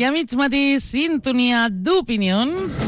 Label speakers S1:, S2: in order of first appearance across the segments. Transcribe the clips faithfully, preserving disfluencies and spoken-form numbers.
S1: I a mig matí, sintonia d'opinions.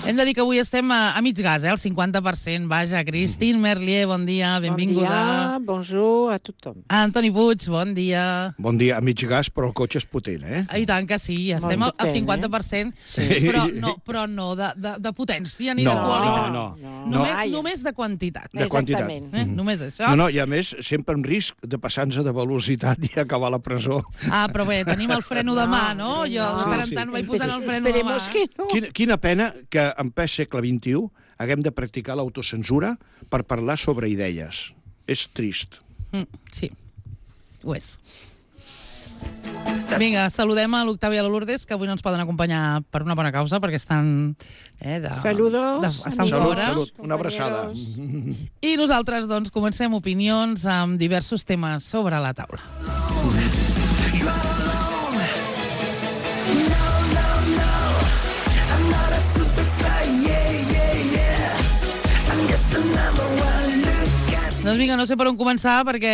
S1: Hem de dir que avui estem a, a mig gas, eh? El cinquanta per cent. Vaja, Christine Merlier, bon dia, benvinguda.
S2: Bon dia, bonjour a tothom.
S1: Antoni Puig, bon dia.
S3: Bon dia, a mig gas, però el cotxe és potent, eh?
S1: I tant que sí, estem al, al cinquanta per cent,
S3: Sí.
S1: però no, però no de, de, de potència ni
S3: No,
S1: de qualitat.
S3: no, no,
S2: no.
S1: Només,
S2: Ai.
S1: només de quantitat.
S3: De quantitat.
S2: Exactament.
S1: Eh? Només això.
S3: No, no, i a més, sempre amb risc de passar-nos de velocitat i acabar a la presó.
S1: Ah, però bé, tenim el freno de mà, no? Jo de tant en
S3: Sí, sí.
S1: tant vaig posant el freno de mà.
S2: Esperemos que no.
S3: Quina, quina pena que en ple segle vint-i-u haguem de practicar l'autocensura per parlar sobre idees. És trist.
S1: Mm, sí, ho és. Vinga, saludem a l'Octavi i a la Lourdes, que avui no ens poden acompanyar per una bona causa, perquè estan... Eh, de,
S2: Saludos,
S1: de, estan
S2: amigos.
S3: Salut,
S1: fora.
S3: salut. Una abraçada.
S1: I nosaltres, doncs, comencem opinions amb diversos temes sobre la taula. Doncs vinga, no sé per on començar, perquè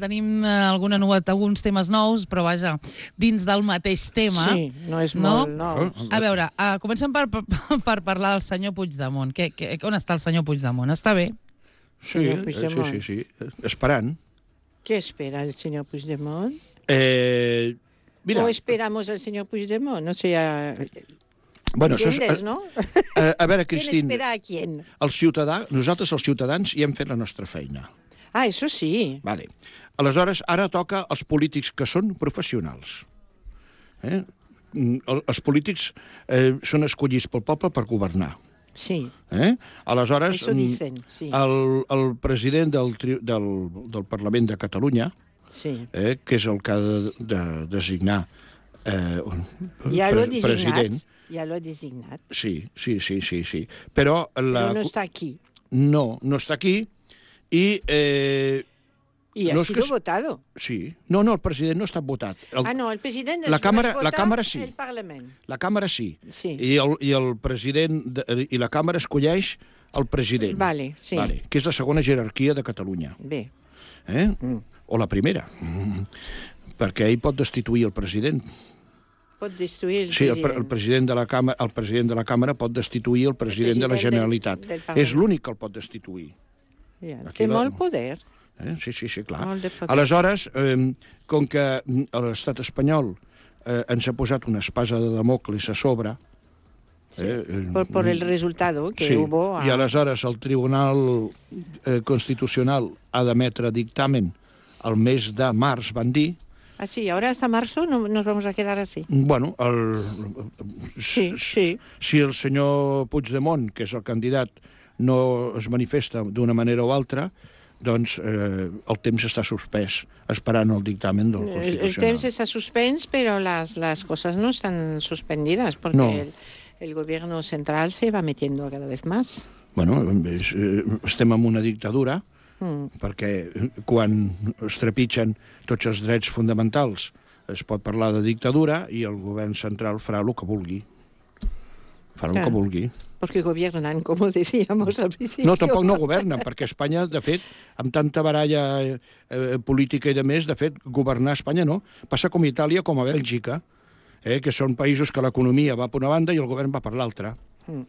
S1: tenim eh, alguna novetat, alguns temes nous, però vaja, dins del mateix tema.
S2: Sí, no és
S1: No?
S2: molt nou.
S1: A veure, uh, comencem per, per, per parlar del senyor Puigdemont. Que, que, on està el senyor Puigdemont? Està bé?
S3: Sí,
S2: Senyor
S3: eh,
S2: Puigdemont.
S3: sí, sí, sí. Esperant.
S2: ¿Qué espera el señor Puigdemont?
S3: Eh, mira,
S2: ¿O esperamos al señor Puigdemont? No sé, a...
S3: bueno, això és,
S2: ¿entiendes, no?
S3: a, a veure,
S2: ¿Quién
S3: Cristín,
S2: espera a quién?
S3: el ciutadà, nosaltres els ciutadans hi hem fet la nostra feina.
S2: Ah, eso sí.
S3: Vale. Aleshores, ara toca als polítics que són professionals. Eh? Mm, el- Els polítics eh, són escollits pel poble per governar.
S2: Sí,
S3: Eh? Aleshores,
S2: eso
S3: mm,
S2: dicen, sí.
S3: el, el president del, tri- del, del Parlament de Catalunya,
S2: Sí.
S3: eh, que és el que ha de, de designar eh, un
S2: Ya lo he
S3: pre-
S2: designat.
S3: president.
S2: Ya lo he designat.
S3: Sí, sí, sí, sí, sí. Però, la,
S2: Pero no está aquí.
S3: no, no està aquí i... Eh,
S2: Y ha
S3: No, es
S2: sido
S3: que es-
S2: votado.
S3: sí. No, no, el president no ha estat votat. El,
S2: Ah, no, el presidente
S3: la
S2: es
S3: Cámara-
S2: vota
S3: la Cámara sí.
S2: el Parlamento.
S3: La Càmera sí.
S2: Sí.
S3: I el, i el president de, i la Càmera escolleix el president.
S2: Vale, sí.
S3: Vale, que és la segona jerarquia de Catalunya.
S2: Bé.
S3: Eh? O la primera. Mm. Perquè ell pot destituir el president.
S2: Pot destruir el
S3: Sí, el, pre-
S2: president.
S3: el president de la Càmera, el president de la Càmera pot destituir el president, de la
S2: president del-
S3: Generalitat.
S2: del Parlament.
S3: És l'únic que el pot destituir.
S2: Ja,
S3: Aquí
S2: té
S3: la-
S2: molt poder.
S3: Eh? Sí, sí, sí, clar.
S2: Molt de poder.
S3: Aleshores, eh, com que l'estat espanyol eh, ens ha posat una espasa de Damocles a sobre...
S2: Sí,
S3: eh, eh,
S2: por, por el resultado que
S3: sí,
S2: hubo. a-
S3: i aleshores el Tribunal eh, Constitucional ha d'emetre dictamen al mes de març, van dir.
S2: Ah, sí, ahora hasta marzo no, nos vamos a quedar así.
S3: Bueno, el,
S2: Sí, sí.
S3: si el senyor Puigdemont, que és el candidat, no es manifesta d'una manera o altra, doncs eh, el temps està suspès, esperant el dictamen del
S2: El, el
S3: Constitucional.
S2: temps está suspens, pero las, las cosas no están suspendidas porque
S3: No.
S2: el, el gobierno central se va metiendo cada vez más.
S3: Bueno, és, eh, estem en una dictadura,
S2: Mm.
S3: perquè quan es trepitgen tots els drets fonamentals es pot parlar de dictadura i el govern central farà el que vulgui. Farà el
S2: Clar.
S3: que vulgui.
S2: Porque gobiernan, como decíamos al principio.
S3: No, tampoc no governen, perquè Espanya, de fet, amb tanta baralla eh, eh, política i de més, de fet, governar Espanya no. Passa com a Itàlia, com a Bèlgica, eh, que són països que l'economia va per una banda i el govern va per l'altra.
S2: Mm.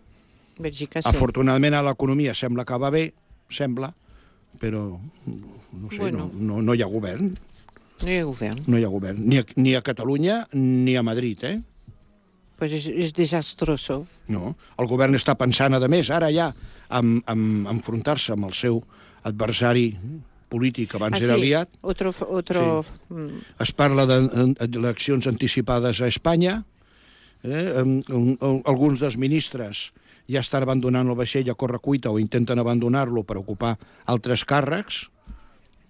S2: Bèlgica, sí.
S3: Afortunadament, a l'economia sembla que va bé, sembla, però no sé,
S2: Bueno.
S3: no, no, no hi ha govern.
S2: No hay gobierno.
S3: No hi ha govern, ni a, ni a Catalunya ni a Madrid, eh?
S2: Pues es, es desastroso.
S3: No. El govern està pensant, a més, ara ja, en, en enfrontar-se amb el seu adversari polític, abans
S2: Ah,
S3: era
S2: sí,
S3: aliat.
S2: Otro, otro,
S3: Sí.
S2: mm,
S3: Es parla d'eleccions anticipades a Espanya. Eh? Em- em- em- Alguns dels ministres ja estan abandonant el vaixell a correcuita o intenten abandonar-lo per ocupar altres càrrecs.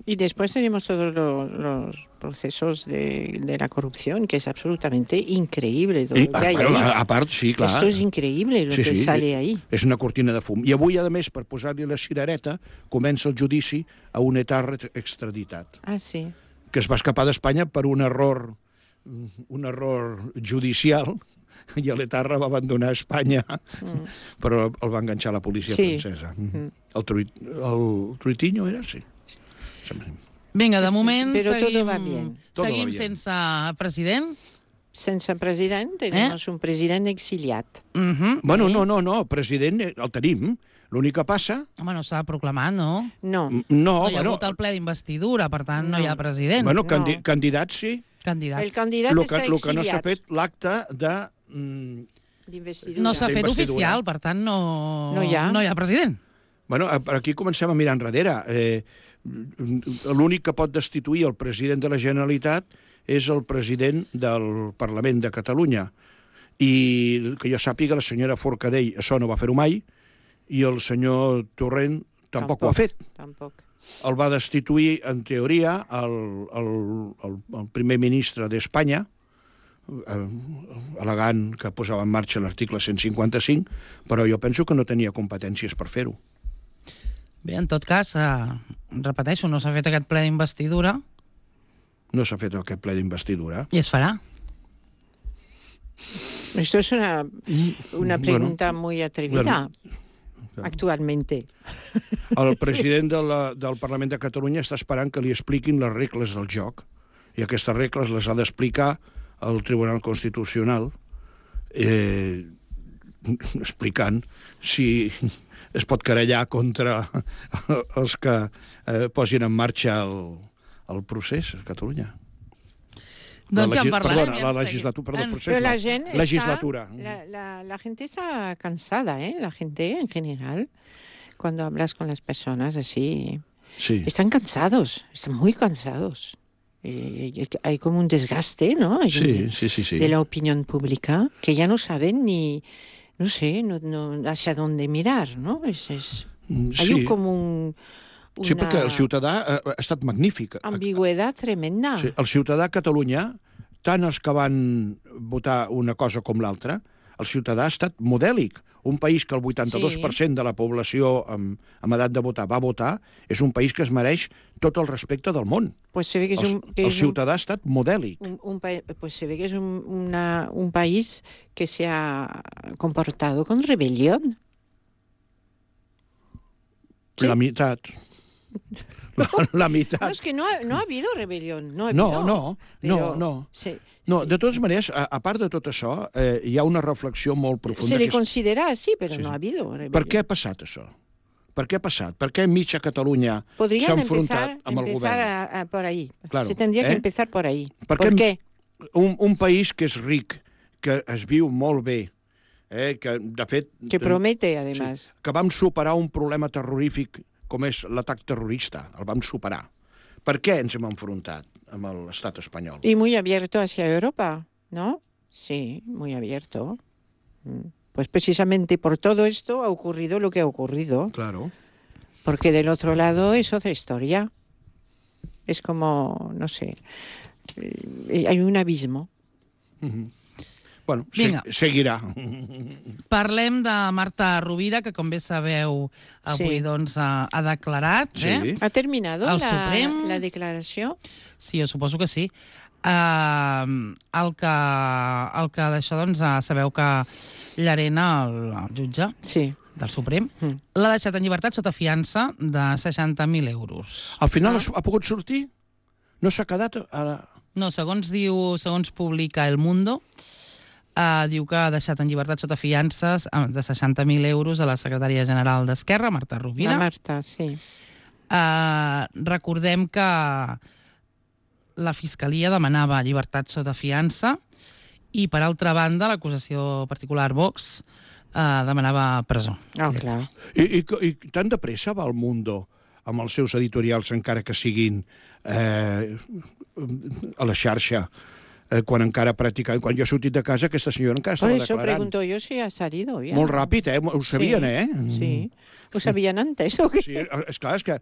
S2: Y después tenemos todos lo- los procesos de, de la corrupción, que es absolutamente increíble todo
S3: I,
S2: lo que hay
S3: bueno,
S2: ahí.
S3: a, a part, sí, clar.
S2: Esto es increíble lo
S3: Sí,
S2: que
S3: sí,
S2: sale ahí.
S3: És una cortina de fum. I avui, a més, per posar-li la cirereta, comença el judici a un etarra extraditat,
S2: Ah, sí.
S3: que es va escapar d'Espanya per un error, un error judicial, i l'etarra va abandonar Espanya, mm. però el va enganxar la policia
S2: Sí.
S3: francesa. Mm. El, truit, el Truitiño era? Sí.
S1: Vinga, de moment
S2: Però todo
S1: seguim,
S2: va bien.
S3: Todo va
S1: seguim
S3: bien.
S1: sense president.
S2: sense president, tenim eh? un president exiliat.
S1: Uh -huh.
S3: Bueno, no, no, no, el president el tenim. L'únic que passa...
S1: Home, no s'ha de proclamar, no?
S2: No.
S3: No,
S1: No hi ha
S3: bueno,
S1: hagut el ple d'investidura, per tant, no,
S2: No.
S1: hi ha president.
S3: bueno
S2: No.
S3: candi candidats sí.
S1: Candidat.
S2: El candidat
S3: El
S2: està
S3: que, lo que no s'ha
S2: exiliat.
S3: fet l'acte de... Mm,
S2: D'investidura.
S1: No s'ha fet
S3: d'investidura.
S1: oficial, per tant, no,
S2: No hi ha.
S1: no hi ha president.
S3: bueno, per aquí comencem a mirar enrere. Eh, L'únic que pot destituir el president de la Generalitat és el president del Parlament de Catalunya. I que jo sàpiga, la senyora Forcadell això no va fer-ho mai, i el senyor Torrent tampoc, tampoc ho ha fet.
S2: Tampoc.
S3: El va destituir, en teoria, el, el, el, el primer ministre d'Espanya, eh, al·legant que posava en marxa l'article cent cinquanta-cinc, però jo penso que no tenia competències per fer-ho.
S1: Bé, en tot cas, eh, repeteixo, no s'ha fet aquest ple d'investidura
S3: No s'ha fet aquest ple d'investidura.
S1: i es farà.
S2: Esto es una, una pregunta bueno, muy atrevida,
S3: bueno,
S2: actualmente.
S3: El president de la, del Parlament de Catalunya està esperant que li expliquin les regles del joc, i aquestes regles les ha d'explicar el Tribunal Constitucional, eh, explicant si es pot querellar contra els que eh, posin en marxa el, el procés a Catalunya.
S1: Doncs
S3: la,
S1: ja en parlarem.
S3: Perdona,
S1: ja
S3: la
S1: en
S3: legislatura, perdó,
S1: en
S3: procés,
S2: Pero la
S3: no,
S2: gente
S3: legislatura.
S2: Está, la, la, la gente está cansada, ¿eh? La gente en general, cuando hablas con las personas así,
S3: Sí.
S2: están cansados, están muy cansados. Eh, hay como un desgaste, ¿no? Hay
S3: Sí,
S2: un-
S3: sí, sí, sí.
S2: de la opinión pública, que ya no saben ni, no sé, no, no, hacia dónde mirar, ¿no? Es, es,
S3: Mm,
S2: hay
S3: sí.
S2: un, como un, una
S3: Sí, perquè el ciutadà eh, ha estat magnífic.
S2: ambigüedad tremenda.
S3: Sí, el ciutadà a Catalunya, tant els que van votar una cosa com l'altra, el ciutadà ha estat modèlic. Un país que el vuitanta-dos per cent de la població amb, amb edat de votar va votar, és un país que es mereix tot el respecte del món.
S2: Pues se ve que es
S3: El,
S2: un, que
S3: el
S2: es un-
S3: ciutadà ha estat modèlic.
S2: un, un pa- pues se ve que es un, una- un país que se ha comportado con rebelión. Sí.
S3: La meitat. La, la meitat.
S2: No, es que no ha, no ha habido rebelión. No, ha
S3: No,
S2: habido,
S3: no,
S2: pero
S3: no, no.
S2: Se,
S3: No,
S2: se-
S3: de totes maneres, a, a part de tot això, eh, hi ha una reflexió molt profunda.
S2: se le
S3: que és-
S2: considera así, pero
S3: Sí,
S2: no
S3: sí.
S2: ha habido rebelión.
S3: Per què ha passat això? Per què ha passat? Per què mitja Catalunya s'ha
S2: Podrían
S3: enfrontat
S2: empezar,
S3: amb el
S2: empezar
S3: govern?
S2: a- a por ahí.
S3: Claro,
S2: Se tendría
S3: ¿eh?
S2: que empezar por ahí.
S3: Per
S2: ¿Por
S3: què-
S2: qué?
S3: Un, un país que és ric, que es viu molt bé, eh, que, de fet...
S2: Que promete, además.
S3: Sí, que vam superar un problema terrorífic com és l'atac terrorista, el vam superar. Per què ens hem enfrontat amb l'estat espanyol?
S2: Y muy abierto hacia Europa, ¿no? Sí, muy abierto. Mm. Pues precisamente por todo esto ha ocurrido lo que ha ocurrido.
S3: Claro.
S2: Porque del otro lado es otra historia. Es como, no sé, eh, hay un abismo.
S3: Bueno,
S1: Vinga.
S3: se, seguirà.
S1: Parlem de Marta Rovira, que com bé sabeu avui
S2: Sí.
S1: doncs, ha, ha declarat.
S3: Sí.
S1: Eh?
S2: ¿Ha terminado
S1: El
S2: la,
S1: Suprem-
S2: la declaració?
S1: Sí, jo suposo que sí. Uh, el que, el que d'això, doncs, uh, sabeu que Llarena, el, el jutge
S2: Sí.
S1: del Suprem,
S2: Mm.
S1: l'ha deixat en llibertat sota fiança de seixanta mil euros.
S3: Al final ha pogut sortir? No s'ha quedat a la...
S1: No, segons diu, segons publica El Mundo, uh, diu que ha deixat en llibertat sota fiances eh, de seixanta mil euros a la secretària general d'Esquerra, Marta Rovira.
S2: La Marta, sí.
S1: Uh, recordem que la Fiscalia demanava llibertat sota fiança i, per altra banda, l'acusació particular Vox uh, demanava presó.
S2: Ah, clar.
S3: I, i, I tan de pressa va el Mundo amb els seus editorials, encara que siguin eh, a la xarxa, eh, quan encara practicant... Quan jo he sortit de casa, aquesta senyora encara
S2: Por
S3: estava
S2: eso
S3: declarant.
S2: pregunto yo si ha salido ya.
S3: Molt ràpid, eh? Ho sabien,
S2: Sí,
S3: eh?
S2: Sí. Ho sabien antes, o què?
S3: Sí, és clar, és que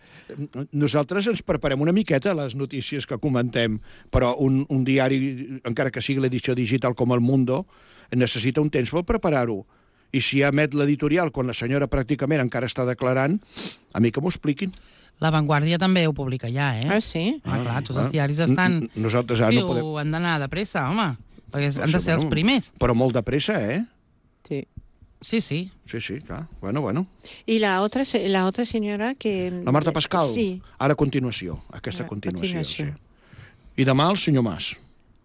S3: nosaltres ens preparem una miqueta a les notícies que comentem, però un, un diari, encara que sigui l'edició digital com El Mundo, necessita un temps per preparar-ho. I si emet l'editorial quan la senyora pràcticament encara està declarant, a mi que m'ho expliquin.
S1: La Vanguardia també ho publica ja, eh?
S2: Ah, sí?
S1: Ah, clar, tots els
S3: Ah,
S1: diaris estan...
S3: n- nosaltres ara no
S1: Diu,
S3: podem-
S1: han d'anar de pressa, home, perquè han de ser els
S3: Bueno,
S1: primers.
S3: Però molt de pressa, eh?
S2: Sí.
S1: Sí, sí.
S3: Sí, sí, clar. Bueno, bueno.
S2: Y la otra, se- la otra señora que...
S3: La Marta Pascal?
S2: Sí.
S3: Ara a continuació, aquesta
S2: A
S3: continuació.
S2: continuació.
S3: Sí. I demà el senyor Mas.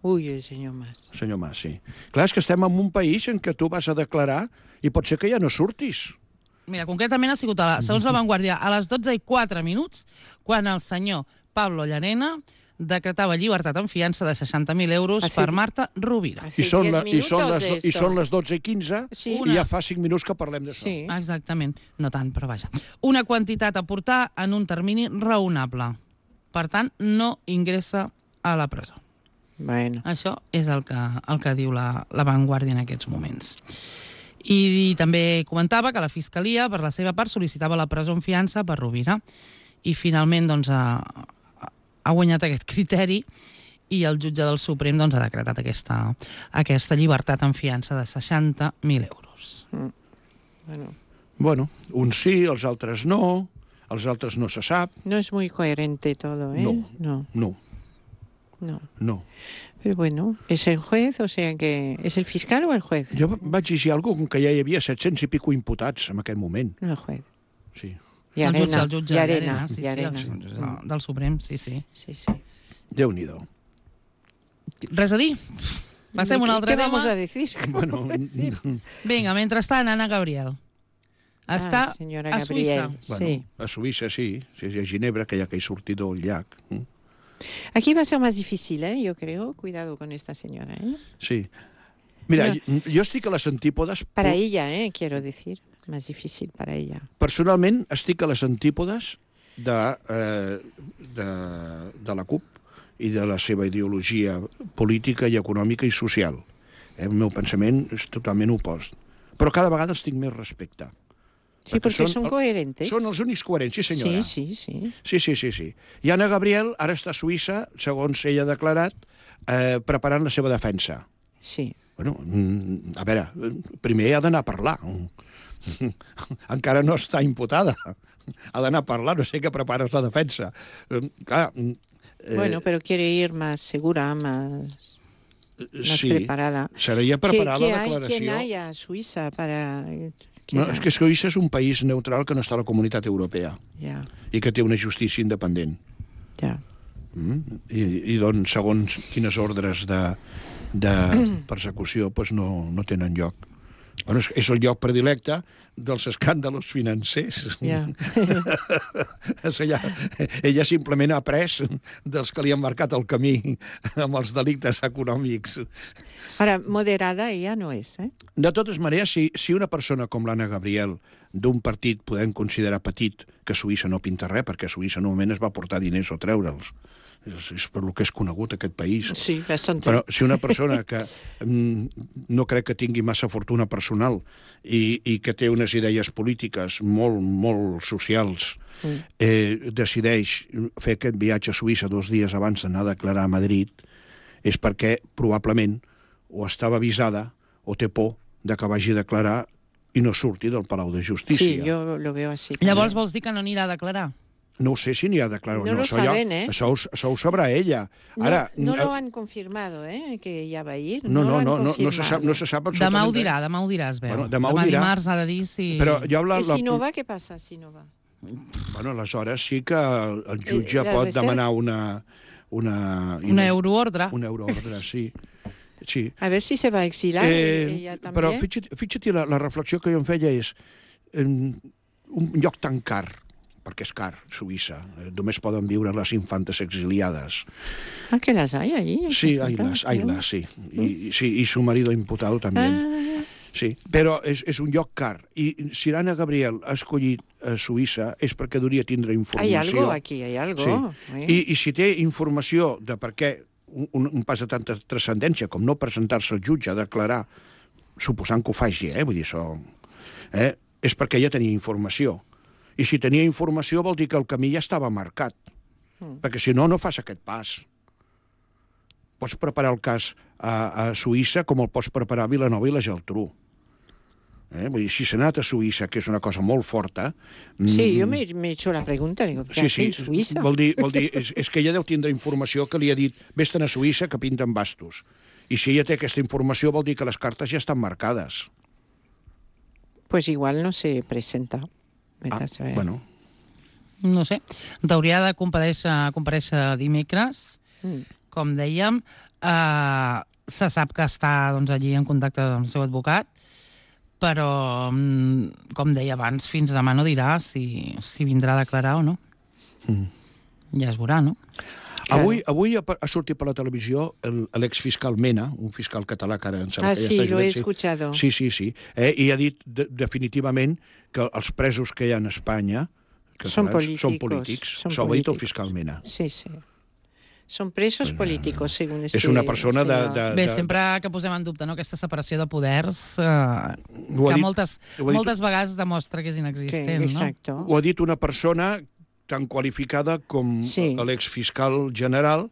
S2: Ui, el senyor Mas.
S3: Senyor Mas, sí. Clar, és que estem en un país en què tu vas a declarar i pot ser que ja no surtis.
S1: Mira, concretament ha sigut, a la, segons la Vanguardia, a les dotze i quatre minuts, quan el senyor Pablo Llarena decretava llibertat en fiança de seixanta mil euros
S2: Hace-
S1: per Marta Rovira.
S2: Hace
S3: I són,
S2: diez
S3: la, i, són
S2: minutos
S3: les,
S2: de
S3: do- I
S2: esto.
S3: són les dotze i quinze
S2: Sí.
S3: i ja fa cinc minuts que parlem d'això.
S2: Sí.
S1: Exactament. No tant, però vaja. Una quantitat a portar en un termini raonable. Per tant, no ingressa a la presó.
S2: Bueno.
S1: Això és el que, el que diu la, la Vanguardia en aquests moments. I, I també comentava que la Fiscalia, per la seva part, sol·licitava la presó en fiança per Rovira. I finalment doncs, ha, ha guanyat aquest criteri i el jutge del Suprem doncs, ha decretat aquesta, aquesta llibertat en fiança de seixanta mil euros.
S2: Bueno.
S3: Bueno, uns sí, els altres no, els altres no se sap.
S2: No es muy coherente todo, ¿eh?
S3: No.
S2: No.
S3: No,
S2: no.
S3: no.
S2: Pero bueno, es el juez, o sea que... ¿Es el fiscal o el juez?
S3: Jo vaig llegir alguna cosa com que ja hi havia set-cents i pico imputats en aquell moment.
S2: No, el juez.
S3: Sí.
S2: Y
S1: El jutge,
S2: Arena.
S1: el jutge
S2: y Arena.
S1: Llarena, sí,
S2: y Arena.
S1: sí, el jutge del Suprem, sí, sí.
S2: Sí, sí.
S3: Déu-n'hi-do.
S1: Res a dir? Passem a un altre
S2: ¿Qué
S1: tema.
S2: vamos a decir?
S3: Bueno,
S1: Vinga, mentrestant, Anna Gabriel. Està
S2: Ah, senyora
S1: a
S2: Gabriel.
S1: Suïssa.
S3: bueno,
S2: Sí.
S3: a Suïssa sí, sí, sí, a Ginebra, que hi ha aquell sortidor al llac. Mm.
S2: Aquí va a ser más difícil, ¿eh? Yo creo. Cuidado con esta señora, ¿eh?
S3: Sí. Mira,
S2: No.
S3: jo, jo estic a les antípodes...
S2: Para ella, ¿eh? Quiero decir. Más difícil para ella.
S3: Personalment, estic a les antípodes de, eh, de, de la CUP i de la seva ideologia política i econòmica i social. Eh, el meu pensament és totalment opost. Però cada vegada els tinc més respecte.
S2: Sí, porque son, coherentes.
S3: Són els únics coherents, sí senyora.
S2: Sí, sí, sí.
S3: Sí, sí, sí, sí. I Anna Gabriel ara està a Suïssa, segons ella ha declarat, eh, preparant la seva defensa.
S2: Sí.
S3: Bueno, mm, a veure, primer ha d'anar a parlar. Encara no està imputada. Ha d'anar a parlar, no sé què prepares la defensa. Eh, clar, eh,
S2: Bueno, pero quiere ir más segura, más, más
S3: sí,
S2: preparada.
S3: seria
S2: ¿Qué,
S3: preparar
S2: qué
S3: la
S2: hay,
S3: declaració.
S2: ¿Quién hay a Suiza para...? ¿Qué
S3: No,
S2: hay?
S3: és que Suïssa és un país neutral que no està a la comunitat europea
S2: Ya,
S3: i que té una justícia independent.
S2: ya.
S3: Mm? I, I doncs, segons quines ordres de, de persecució, doncs no, no tenen lloc. Bueno, és, és el lloc predilecte dels escàndalos financers.
S2: Ja.
S3: ella, ella simplement ha après dels que li han marcat el camí amb els delictes econòmics.
S2: Ahora, moderada ella no es, ¿eh?
S3: De totes maneres, si, si una persona com l'Anna Gabriel d'un partit podem considerar petit, que Suïssa no pinta res, perquè Suïssa normalment es va portar diners o treure'ls. És, és per lo que és conegut aquest país.
S2: Sí, bastante.
S3: Però si una persona que mm, no crec que tingui massa fortuna personal i, i que té unes idees polítiques molt, molt socials,
S2: Mm.
S3: eh, decideix fer aquest viatge a Suïssa dos dies abans d'anar a declarar a Madrid, és perquè probablement o estava avisada o té por de que vagi a declarar i no surti del Palau de Justícia.
S2: Sí, yo lo veo así.
S1: Llavors vols dir que no anirà a declarar?
S3: No ho sé si n'hi ha de declarar o
S2: No
S3: no.
S2: lo
S3: Això, ja,
S2: saben, eh?
S3: això, ho- això ho sabrà ella.
S2: No,
S3: Ara,
S2: no
S3: eh,
S2: lo han confirmado, ¿eh? Que ella va a ir.
S3: no,
S2: lo
S3: no,
S2: han
S3: no, no, no se
S2: confirmado.
S3: sap, no se sap
S1: Demà
S3: absolutament
S1: ho dirà, demà ho dirà, es veu.
S3: Bueno, demà ho dirà.
S1: dimarts ha de dir si...
S3: Però jo la,
S2: ¿Y
S3: la,
S2: si no va, qué pasa si no va?
S3: Bueno, aleshores sí que el, el jutge
S2: Eh, la
S3: pot
S2: reserva-
S3: demanar una... Una,
S1: Una euroordre.
S3: Una euroordre, sí. sí.
S2: A ver si se va a exilar ella también.
S3: Però fixa't, fixa't la, la reflexió que jo em feia és en un lloc tan car, perquè és car, Suïssa, eh, només poden viure les infantes exiliades.
S2: Ah, que las hay allí.
S3: Sí, haylas, haylas, sí. Y, sí, y su marido imputado también.
S2: Ah,
S3: Sí, però és, és un lloc car. I si l'Anna Gabriel ha escollit a Suïssa és perquè hauria tindre
S2: hay
S3: informació.
S2: algo aquí, hay algo.
S3: Sí.
S2: ¿eh?
S3: I, I si té informació de per què un, un pas de tanta transcendència com no presentar-se al jutge a declarar, suposant que ho faci, eh? Vull dir, això... Eh? És perquè ella tenia informació. I si tenia informació vol dir que el camí ja estava marcat. Mm. Perquè si no, no fas aquest pas. Pots preparar el cas a, a Suïssa com el pots preparar a Vilanova i la Geltrú. Eh? Vull dir, si s'ha anat a Suïssa, que és una cosa molt forta...
S2: Sí, yo me, me he hecho la pregunta, digo, ¿qué
S3: Sí,
S2: hace
S3: sí,
S2: en Suiza?
S3: vol dir, vol dir és, és que ella deu tindre informació que li ha dit vés-te'n a Suïssa que pinten bastos. I si ella té aquesta informació vol dir que les cartes ja estan marcades.
S2: Pues igual no se presenta. Vete
S3: Ah,
S2: a saber.
S3: bueno,
S1: No sé. T'hauria de comparèixer, comparèixer dimecres,
S2: Mm.
S1: com dèiem. Uh, se sap que està doncs, allí en contacte amb el seu advocat, però, com deia abans, fins demà no dirà si, si vindrà a declarar o no. Mm. Ja es veurà, no?
S3: Claro. Avui, avui ha, ha sortit per la televisió l'exfiscal Mena, un fiscal català que ara...
S2: Ah, sí, ja lo he escuchado.
S3: Sí, sí, sí. Eh, I ha dit de, definitivament que els presos que hi ha en Espanya
S2: són polítics.
S3: Són polítics. S'ho ha dit el fiscal Mena.
S2: Sí, sí. Són presos pues, políticos, según este...
S3: És una persona de, de, de...
S1: Bé, sempre que posem en dubte no, aquesta separació de poders, eh, que dit, moltes, moltes vegades demostra que és inexistent.
S2: Que, exacto.
S1: No?
S3: Ho ha dit una persona tan qualificada com sí. l'exfiscal general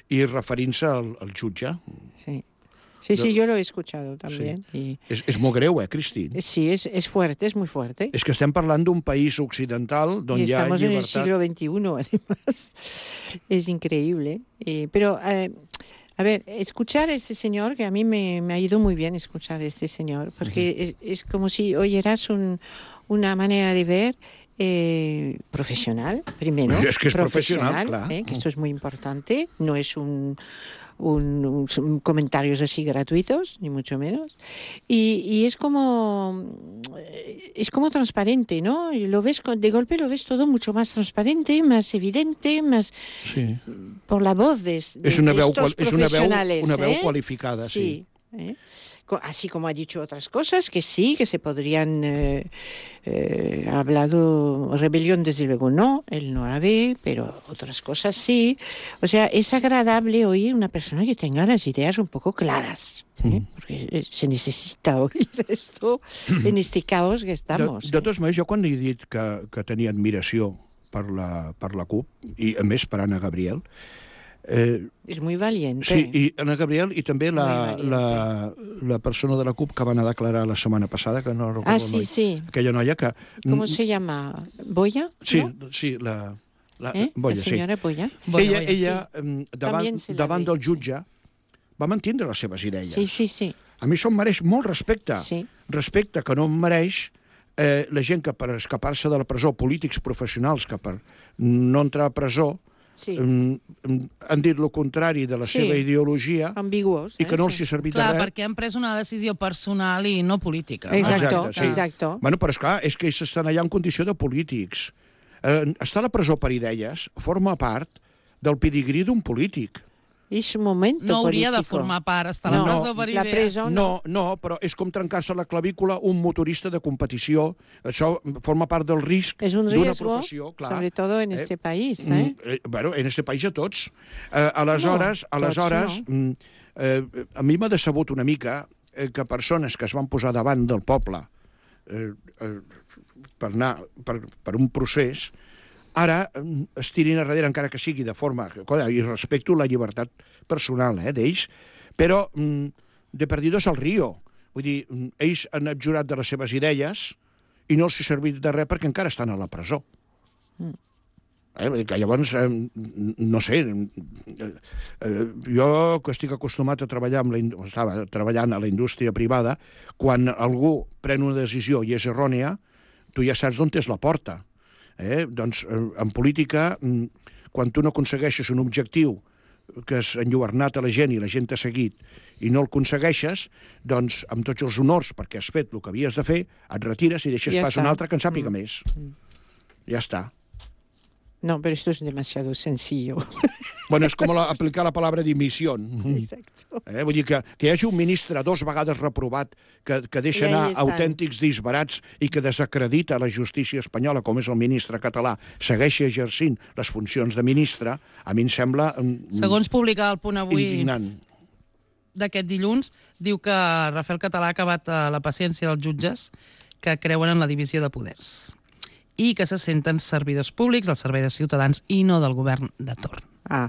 S3: i referint-se al, al jutge.
S2: Sí. Sí, sí, yo lo he escuchado también.
S3: Sí.
S2: Y...
S3: És, és molt greu, eh, Cristín?
S2: Sí, és, és fuerte, és muy fuerte.
S3: És que estem parlant d'un país occidental on hi ha llibertat...
S2: Y estamos en el siglo veintiuno, además. Es increíble. Eh, pero, eh, a ver, escuchar a este señor, que a mí me, me ha ido muy bien escuchar a este señor, porque uh-huh. es, es como si oyeras un, una manera de ver eh, profesional, primero.
S3: Es que es profesional,
S2: profesional
S3: claro.
S2: Eh, que esto es muy importante, no es un... Un, un, comentarios así gratuitos, ni mucho menos. Y, y es como es como transparente, ¿no? Y lo ves, de golpe lo ves todo mucho más transparente, más evidente, más...
S3: Sí.
S2: Por la voz de, de,
S3: es una
S2: de
S3: veu,
S2: estos
S3: és
S2: profesionales.
S3: Una veu, una veu
S2: ¿eh?
S3: qualificada, sí.
S2: sí. ¿eh? Así como ha dicho otras cosas que sí, que se podrían... Eh, eh, ha hablado... Rebelión, desde luego, no. Él no la ve, pero otras cosas sí. O sea, es agradable oír una persona que tenga las ideas un poco claras. ¿eh? Porque se necesita oír esto en este caos que estamos.
S3: De, de totes maneres, jo quan he dit que, que tenia admiració per la, per la CUP, i a més per Anna Gabriel...
S2: Eh, és muy valiente.
S3: Sí, i Anna Gabriel i també la, la, la persona de la CUP que van a declarar la setmana passada, que no recordo
S2: ah, sí,
S3: noi,
S2: sí.
S3: aquella noia que...
S2: Com se llama? ¿Boya?
S3: Sí,
S2: ¿no?
S3: sí, la... La,
S2: eh?
S3: Boya,
S2: la senyora
S3: sí.
S2: Boya.
S3: Boya, ella,
S2: Boya,
S3: ella
S2: sí.
S3: davant, davant del jutge, va mantindre les seves idees.
S2: Sí, sí, sí.
S3: A mi això em mereix molt respecte.
S2: Sí.
S3: Respecte que no em mereix eh, la gent que per escapar-se de la presó, polítics professionals que per no entrar a presó,
S2: sí.
S3: eh, han dit el contrari de la
S2: sí.
S3: seva ideologia
S2: ambiguos, eh?
S3: i que no els hi ha servit
S1: clar,
S3: de res.
S1: Perquè han pres una decisió personal i no política.
S2: Exacto,
S3: exacte, sí.
S2: exacto.
S3: Bueno, però esclar, és que ells estan allà en condició de polítics. Eh, estar a la presó per idees forma part del pedigrí d'un polític.
S2: És un moment polític.
S1: No hauria de formar part, estar a la presó per idees.
S2: La presó
S3: no. no, no, però és com trencar-se la clavícula un motorista de competició. Això forma part del risc d'una professió. Clar.
S2: Sobre todo en este eh? país. Eh?
S3: Eh, bueno, en este país a tots. Eh, aleshores, no, aleshores tots no. eh, a mi m'ha decebut una mica eh, que persones que es van posar davant del poble eh, eh, per anar per, per un procés, ara es tirin a darrere, encara que sigui de forma... I respecto la llibertat personal eh, d'ells, però de perdidos al río. Vull dir, ells han abjurat de les seves idees i no els ha servit de res perquè encara estan a la presó. Mm. Eh, que llavors, eh, no sé, eh, jo que estic acostumat a treballar amb la, estava treballant a la indústria privada, quan algú pren una decisió i és errònia, tu ja saps d'on és la porta. Eh? Doncs, en política, quan tu no aconsegueixes un objectiu que has enlluernat a la gent i la gent t'ha seguit i no el aconsegueixes, doncs, amb tots els honors perquè has fet el que havies de fer, et retires i deixes ja pas un altre que en sàpiga mm. més. Mm. Ja està.
S2: No, pero esto es demasiado sencillo.
S3: Bueno, és com la, aplicar la paraula dimissió.
S2: Exacto.
S3: Eh? Vull dir que, que hi hagi un ministre dos vegades reprovat que, que deixa anar autèntics disbarats i que desacredita la justícia espanyola, com és el ministre català, segueixi exercint les funcions de ministre, a mi em sembla...
S1: Segons publicar el Punt Avui
S3: indignant.
S1: D'aquest dilluns, diu que Rafael Català ha acabat la paciència dels jutges que creuen en la divisió de poders i que se senten servidors públics al servei de ciutadans i no del govern de torn.
S2: Ah.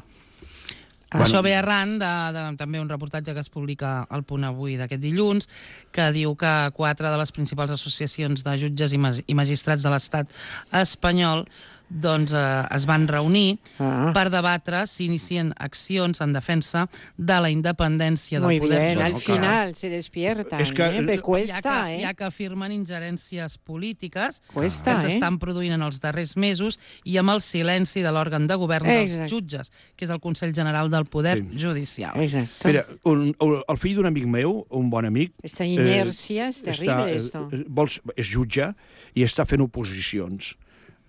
S1: Ah. Això ve arran de, de també un reportatge que es publica al Punt Avui d'aquest dilluns, que diu que quatre de les principals associacions de jutges i, mag i magistrats de l'estat espanyol doncs eh, es van reunir
S2: Ah.
S1: per debatre si inicien accions en defensa de la independència del
S2: Muy
S1: poder
S2: bien, al
S1: judicial.
S2: final se despiertan,
S3: Es que-
S2: ¿eh? Pero
S1: Ja
S2: cuesta,
S1: que,
S2: ¿eh?
S1: ja que afirmen ingerències polítiques
S2: Cuesta,
S1: que s'estan
S2: eh?
S1: produint en els darrers mesos i amb el silenci de l'òrgan de govern dels
S2: Exacte.
S1: jutges, que és el Consell General del Poder
S3: Sí.
S1: Judicial.
S2: Exacto.
S3: Mira, un, un, el fill d'un amic meu, un bon amic...
S2: Esta inercia es terrible,
S3: està,
S2: esto.
S3: eh, vols, és jutge i està fent oposicions.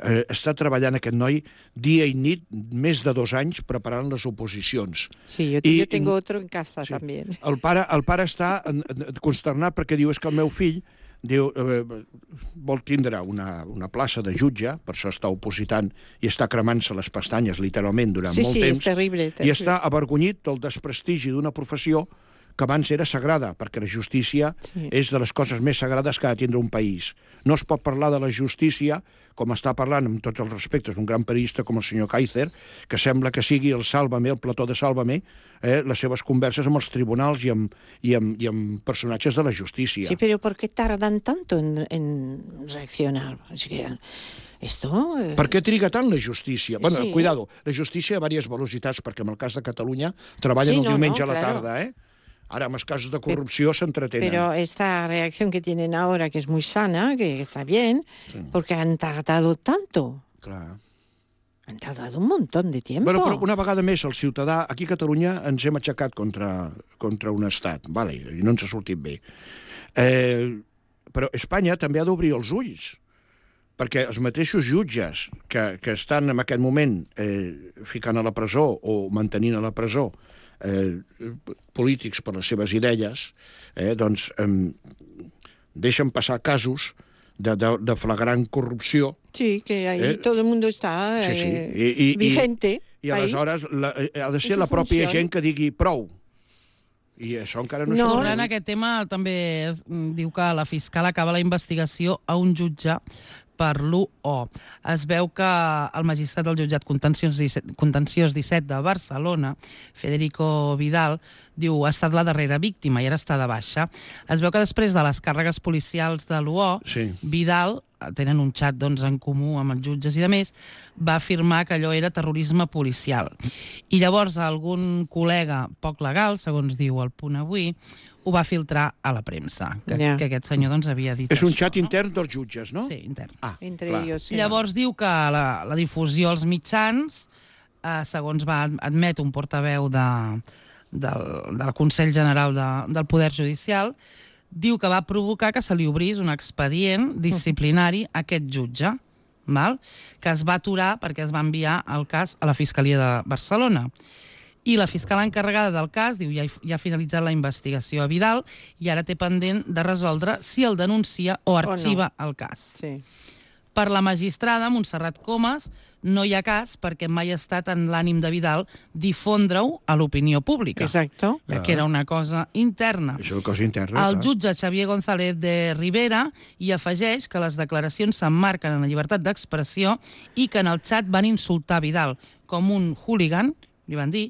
S3: Eh, està treballant aquest noi dia i nit, més de dos anys, preparant les oposicions.
S2: Sí, yo,
S3: I-
S2: yo tengo otro en casa
S3: Sí.
S2: también.
S3: El pare, el pare està en- en- consternat perquè diu és que el meu fill diu, eh, vol tindre una, una plaça de jutge, per això està opositant i està cremant-se les pestanyes literalment durant
S2: Sí,
S3: molt
S2: sí,
S3: temps,
S2: és terrible,
S3: i
S2: terrible.
S3: està avergonyit del desprestigi d'una professió que abans era sagrada, perquè la justícia
S2: Sí.
S3: és de les coses més sagrades que ha de tindre un país. No es pot parlar de la justícia, com està parlant, amb tots els respectes, un gran periodista com el senyor Kaiser, que sembla que sigui el Sálvame, el plató de Sálvame, eh, les seves converses amb els tribunals i amb, i amb, i amb personatges de la justícia.
S2: Sí, pero ¿por qué tardan tanto en, en reaccionar? Es que esto... eh,
S3: Per què triga tant la justícia? Bueno,
S2: Sí.
S3: cuidado, la justícia a diverses velocitats, perquè en el cas de Catalunya treballen
S2: Sí,
S3: el
S2: no,
S3: diumenge
S2: no,
S3: a la
S2: claro.
S3: tarda, eh? Ara, amb els casos de corrupció s'entretenen.
S2: Pero esta reacción que tienen ahora, que es muy sana, que está bien, porque han tardado tanto.
S3: Clar.
S2: Han tardado un montón de tiempo.
S3: Bueno, però una vegada més, el ciutadà, aquí a Catalunya ens hem aixecat contra, contra un estat, vale, i no ens ha sortit bé. Eh, però Espanya també ha d'obrir els ulls, perquè els mateixos jutges que, que estan en aquest moment eh, ficant a la presó o mantenint a la presó eh, polítics per les seves idees, eh, doncs eh, deixen passar casos de, de, de flagrant corrupció.
S2: Sí, que ahí
S3: Eh,
S2: todo el mundo está
S3: Sí, sí.
S2: eh,
S3: I, i,
S2: vigente.
S3: I, i
S2: ahí.
S3: aleshores la, eh, ha de ser
S2: Això
S3: la pròpia
S2: funciona.
S3: gent que digui prou. I això encara no,
S2: No.
S3: s'ha
S1: Tornant a
S3: produït.
S1: aquest tema, també mm, diu que la fiscal acaba la investigació a un jutge per l'u o. Es veu que el magistrat del jutjat contenciós disset, contenciós disset de Barcelona, Federico Vidal, diu ha estat la darrera víctima i ara està de baixa. Es veu que després de les càrregues policials de l'u o,
S3: Sí.
S1: Vidal, tenen un xat doncs, en comú amb els jutges i de més, va afirmar que allò era terrorisme policial. I llavors algun col·lega poc legal, segons diu el Punt Avui, ho va filtrar a la premsa, que,
S2: Ja.
S1: que aquest senyor doncs, havia dit
S3: És un
S1: això,
S3: xat intern dels jutges, no?
S1: Sí, intern.
S3: Ah,
S2: Entre
S3: clar.
S2: ellos. sí.
S1: Llavors diu que la, la difusió als mitjans, eh, segons va admet un portaveu de, del, del Consell General de, del Poder Judicial, diu que va provocar que se li obrís un expedient disciplinari a aquest jutge, val? Que es va aturar perquè es va enviar el cas a la Fiscalia de Barcelona. I la fiscal encarregada del cas diu ja, ja ha finalitzat la investigació a Vidal i ara té pendent de resoldre si el denuncia o arxiva el cas.
S2: Sí.
S1: Per la magistrada Montserrat Comas no hi ha cas perquè mai ha estat en l'ànim de Vidal difondre-ho a l'opinió pública,
S2: Exacto.
S1: ja que era una cosa interna.
S3: És una cosa interna.
S1: El
S3: clar.
S1: jutge Xavier González de Rivera hi afegeix que les declaracions s'emmarquen en la llibertat d'expressió i que en el xat van insultar Vidal com un hooligan, li van dir,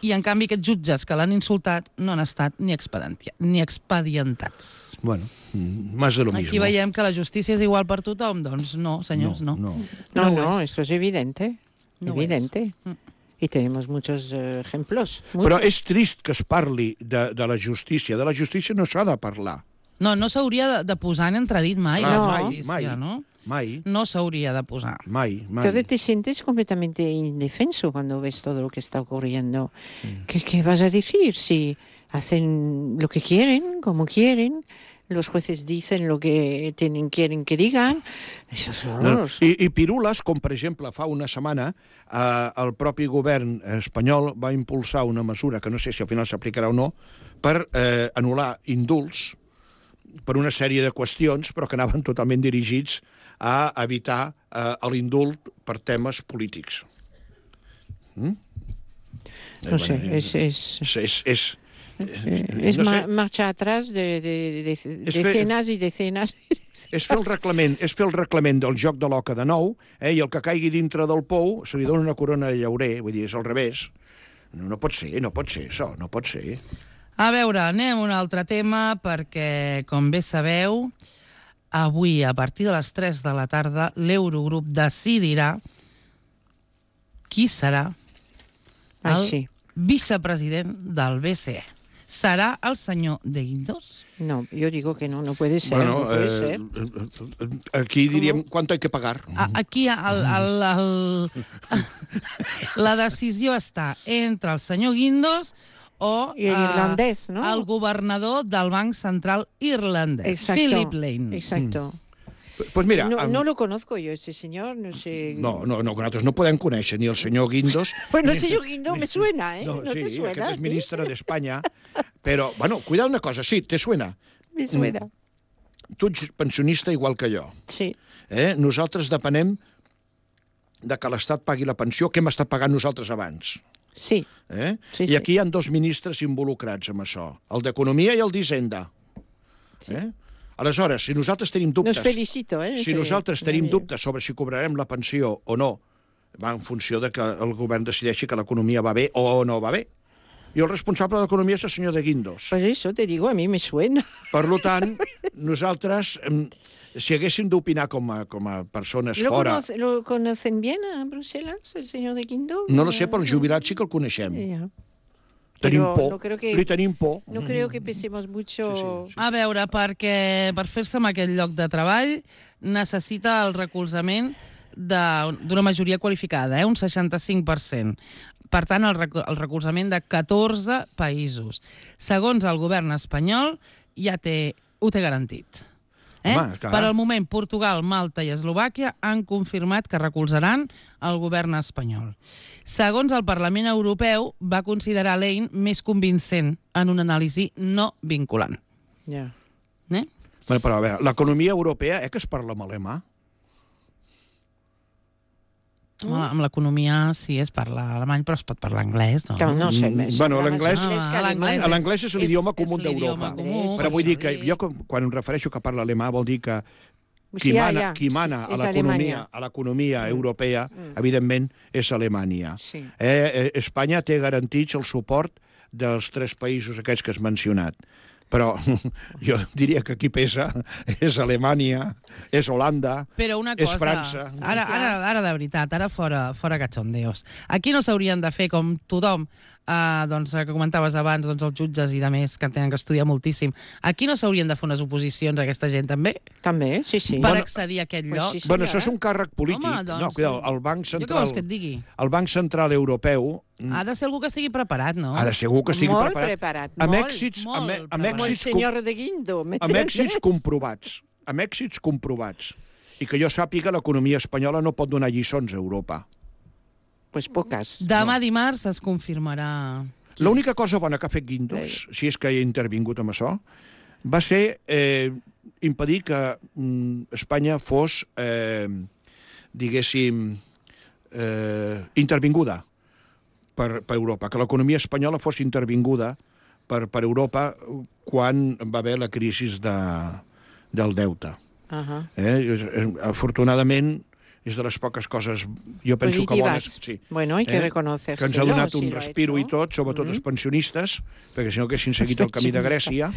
S1: i en canvi aquests jutges que l'han insultat no han estat ni, expedienti- ni expedientats.
S3: Bueno, mm, más de lo mismo.
S1: Aquí veiem que la justícia és igual per tothom. Doncs no, senyors, no.
S3: no.
S2: No,
S1: No
S2: no,
S1: ho és.
S2: esto es evidente.
S1: No ho
S2: evidente.
S1: és. Mm.
S2: Y tenemos muchos eh, ejemplos.
S3: Però
S2: muchos.
S3: és trist que es parli de, de la justícia. De la justícia no s'ha de parlar.
S1: No, no s'hauria de, de posar en entredit mai.
S3: Clar,
S1: la
S2: mai,
S1: justícia,
S3: mai.
S1: no?
S3: Mai,
S1: No s'hauria de posar.
S3: mai, mai.
S2: Entonces te sientes completamente indefenso cuando ves todo lo que está ocurriendo. ¿Qué, qué vas a decir si hacen lo que quieren, como quieren? Los jueces dicen lo que tienen, quieren que digan. Eso es
S3: No,
S2: horroroso.
S3: I, I pirules, com per exemple fa una setmana, eh, el propi govern espanyol va impulsar una mesura, que no sé si al final s'aplicarà o no, per eh, anul·lar indults per una sèrie de qüestions, però que anaven totalment dirigits a evitar eh, l'indult per temes polítics. Mm?
S2: No sé,
S3: bueno,
S2: es, es,
S3: És, és, és,
S2: eh, es
S3: no
S2: ma-
S3: sé,
S2: marcha atrás de, de- de- de
S3: Es fe-
S2: decenas y decenas.
S3: és fer el reglament, és fer el reglament del joc de l'oca de nou, eh, i el que caigui dintre del pou se li dona una corona de llaurer, vull dir, és al revés. No, no pot ser, no pot ser això, no pot ser.
S1: A veure, anem a un altre tema perquè, com bé sabeu, avui, a partir de les tres de la tarda, l'Eurogrup decidirà qui serà
S2: Ai,
S1: el
S2: sí.
S1: vicepresident del B C E? ¿Será el señor de Guindos?
S2: No, yo digo que no, no puede ser,
S3: Bueno,
S2: no puede
S3: eh,
S2: ser.
S3: aquí diríem, ¿cuánto hay que pagar?
S1: A, aquí el, el, el, la decisió està entre el senyor Guindos o
S2: I el irlandès, ¿no?
S1: el governador del Banc Central irlandès,
S2: Exacto,
S1: Philip Lane.
S2: exacto.
S3: Pues mira,
S2: No,
S3: amb-
S2: no lo conozco yo, este señor, no sé...
S3: No, no, no, que nosaltres no podem conèixer ni el senyor Guindos...
S2: Bueno,
S3: ni-
S2: el señor Guindos me suena, ¿eh?
S3: No,
S2: ¿No
S3: sí,
S2: te suena?
S3: aquest és
S2: ¿Sí?
S3: ministre d'Espanya, però, bueno, cuidado una cosa, sí, te suena.
S2: Me suena,
S3: Tu ets pensionista igual que jo.
S2: sí.
S3: Eh? Nosaltres depenem de que l'Estat pagui la pensió que hem estat pagant nosaltres abans.
S2: Sí,
S3: Eh?
S2: Sí,
S3: I
S2: sí.
S3: aquí hi ha dos ministres involucrats amb això, el d'Economia i el d'Hisenda.
S2: Sí.
S3: Eh? Aleshores, si nosaltres tenim dubtes...
S2: Nos felicito, ¿eh?
S3: Si
S2: Sí.
S3: nosaltres tenim
S2: Muy bien.
S3: dubtes sobre si cobrarem la pensió o no, va en funció de que el govern decideixi que l'economia va bé o no va bé. I el responsable de l'economia és el senyor de Guindos.
S2: Pues eso te digo, a mí me suena.
S3: Per tant, nosaltres, em, si haguéssim d'opinar com a, com a persones
S2: ¿Lo,
S3: fora...
S2: conoce- ¿Lo conocen bien a Bruselas, el señor de Guindos?
S3: No lo sé, però el jubilat sí que el coneixem.
S2: Ya.
S3: Tenim
S2: Pero
S3: por.
S2: no creo que-
S3: Li tenim por.
S2: No creo que pensemos mucho...
S1: A veure, perquè per fer-se amb aquest lloc de treball necessita el recolzament de- d'una majoria qualificada, eh? Un seixanta-cinc per cent. Per tant, el, rec el recolzament de catorze països. Segons el govern espanyol, ja té, ho té garantit. Eh?
S3: Home, clar.
S1: Per al moment, Portugal, Malta i Eslovàquia han confirmat que recolzaran el govern espanyol. Segons el Parlament Europeu, va considerar l'E I N més convincent en una anàlisi no vinculant.
S2: Ya.
S1: Eh?
S3: Bueno, però a veure, l'economia europea, eh, que es parla amb alemà?
S1: Home, amb l'economia sí es parla alemany, però es pot parlar anglès, no?
S2: Claro, no sé.
S3: Mm,
S2: me-
S3: bueno,
S2: habla más
S3: l'anglès-
S2: inglés que
S1: Ah,
S2: alemán.
S1: l'anglès
S3: L'anglès és l'idioma
S1: és-
S3: comú
S1: és l'idioma
S3: d'Europa.
S1: comú,
S3: Però vull dir que
S1: sí.
S3: jo, quan em refereixo que parla alemà, vol dir que qui
S2: Sí, ja,
S3: mana,
S2: ja.
S3: qui mana
S2: És
S3: a l'economia
S2: Alemanya.
S3: a l'economia europea, evidentment, és Alemanya.
S2: Sí.
S3: Eh, eh, Espanya té garantits el suport dels tres països aquests que has mencionat. Però jo diria que qui pesa és Alemanya, és Holanda,
S1: Però una
S3: és
S1: cosa,
S3: França.
S1: ara, ara, ara de veritat, ara fora, fora cachondeos. Aquí no s'haurien de fer com tothom, eh, doncs, que comentaves abans, doncs, els jutges i de més, que tenen que estudiar moltíssim. Aquí no s'haurien de fer unes oposicions a aquesta gent, també?
S2: També, sí, sí.
S1: Per
S3: Bueno,
S1: accedir a aquest
S2: pues
S1: lloc?
S2: sí, sí.
S3: Bueno,
S2: senyora.
S3: això és un càrrec polític.
S1: Home, doncs,
S3: no, cuidado, el Banc
S1: Jo què
S3: Central,
S1: vols que et digui?
S3: el Banc Central Europeu
S1: Ha de ser algú que estigui preparat, no?
S3: ha de ser algú que estigui
S2: Molt
S3: preparat.
S2: preparat,
S3: amb
S2: molt,
S3: èxits,
S1: molt
S3: amb, amb
S1: preparat.
S2: Como el
S3: èxits, com-
S2: señor de Guindo, ¿me
S3: amb èxits
S2: entiendes?
S3: comprovats. Amb èxits comprovats. I que jo sàpiga, l'economia espanyola no pot donar lliçons a Europa.
S2: Pues pocas.
S1: Demà dimarts es confirmarà...
S3: L'única cosa bona que ha fet Guindos, si és que hi ha intervingut amb això, va ser eh, impedir que mm, Espanya fos, eh, diguéssim, eh, intervinguda per, per Europa, que l'economia espanyola fos intervinguda per, per Europa quan va haver la crisi de, del deute.
S2: Ajá.
S3: Eh? Afortunadament, és de les poques coses, jo penso que bones...
S2: Positivas.
S3: Sí.
S2: Bueno, hay que
S3: Eh?
S2: reconocer.
S3: Que ens ha donat un respiro i tot, sobretot els pensionistes, perquè si no haguessin seguit el camí de Grècia,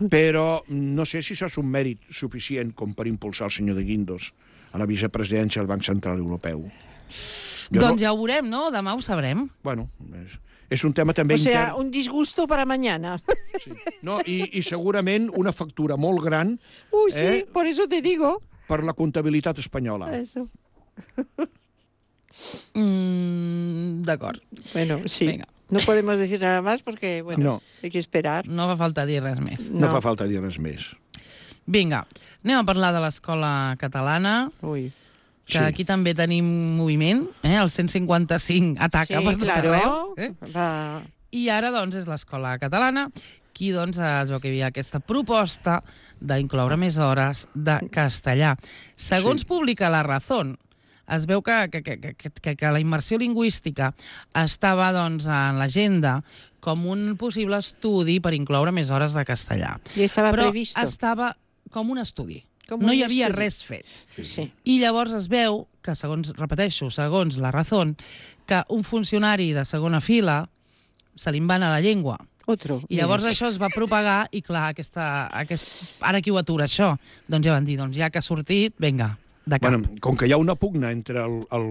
S3: però no sé si això és un mèrit suficient com per impulsar el senyor de Guindos a la vicepresidència del Banc Central Europeu. Jo
S1: Doncs
S3: no,
S1: ja ho veurem, no? Demà ho sabrem.
S3: bueno, és, és un tema també
S2: O sea,
S3: intern.
S2: un disgusto para mañana.
S3: Sí. No, i, I segurament una factura molt gran
S2: Uy, sí,
S3: Eh?
S2: por eso te digo.
S3: per la comptabilitat espanyola.
S2: Eso.
S1: Mm, D'acord.
S2: Bueno, sí.
S1: Venga.
S2: No podemos decir nada más porque, bueno,
S3: No.
S2: hay que esperar.
S1: No fa falta dir res més.
S3: No, no fa falta dir res més.
S1: Vinga, anem a parlar de l'escola catalana,
S2: Uy.
S1: que
S3: Sí.
S1: aquí també tenim moviment, eh? El cent cinquanta-cinc ataca
S2: Sí,
S1: per tot
S2: claro.
S1: arreu. Eh?
S2: Va.
S1: I ara, doncs, és l'escola catalana qui, doncs, es veu que hi havia aquesta proposta d'incloure més hores de castellà. Segons
S3: Sí.
S1: publica La Razón, es veu que, que, que, que, que, que la immersió lingüística estava, doncs, en l'agenda com un possible estudi per incloure més hores de castellà.
S2: I estava
S1: Però
S2: previsto.
S1: estava com un estudi.
S2: Com
S1: no
S2: un
S1: hi havia
S2: estudi.
S1: res fet.
S2: Sí.
S1: I llavors es veu que, segons, repeteixo, segons La Razón, que un funcionari de segona fila se li en va anar la llengua.
S2: Otro.
S1: I llavors això es va propagar i, clar, aquesta, aquest... ara qui ho atura, això? Doncs ja van dir, doncs ja que ha sortit, vinga, de cap.
S3: Bueno, com que hi ha una pugna entre el, el,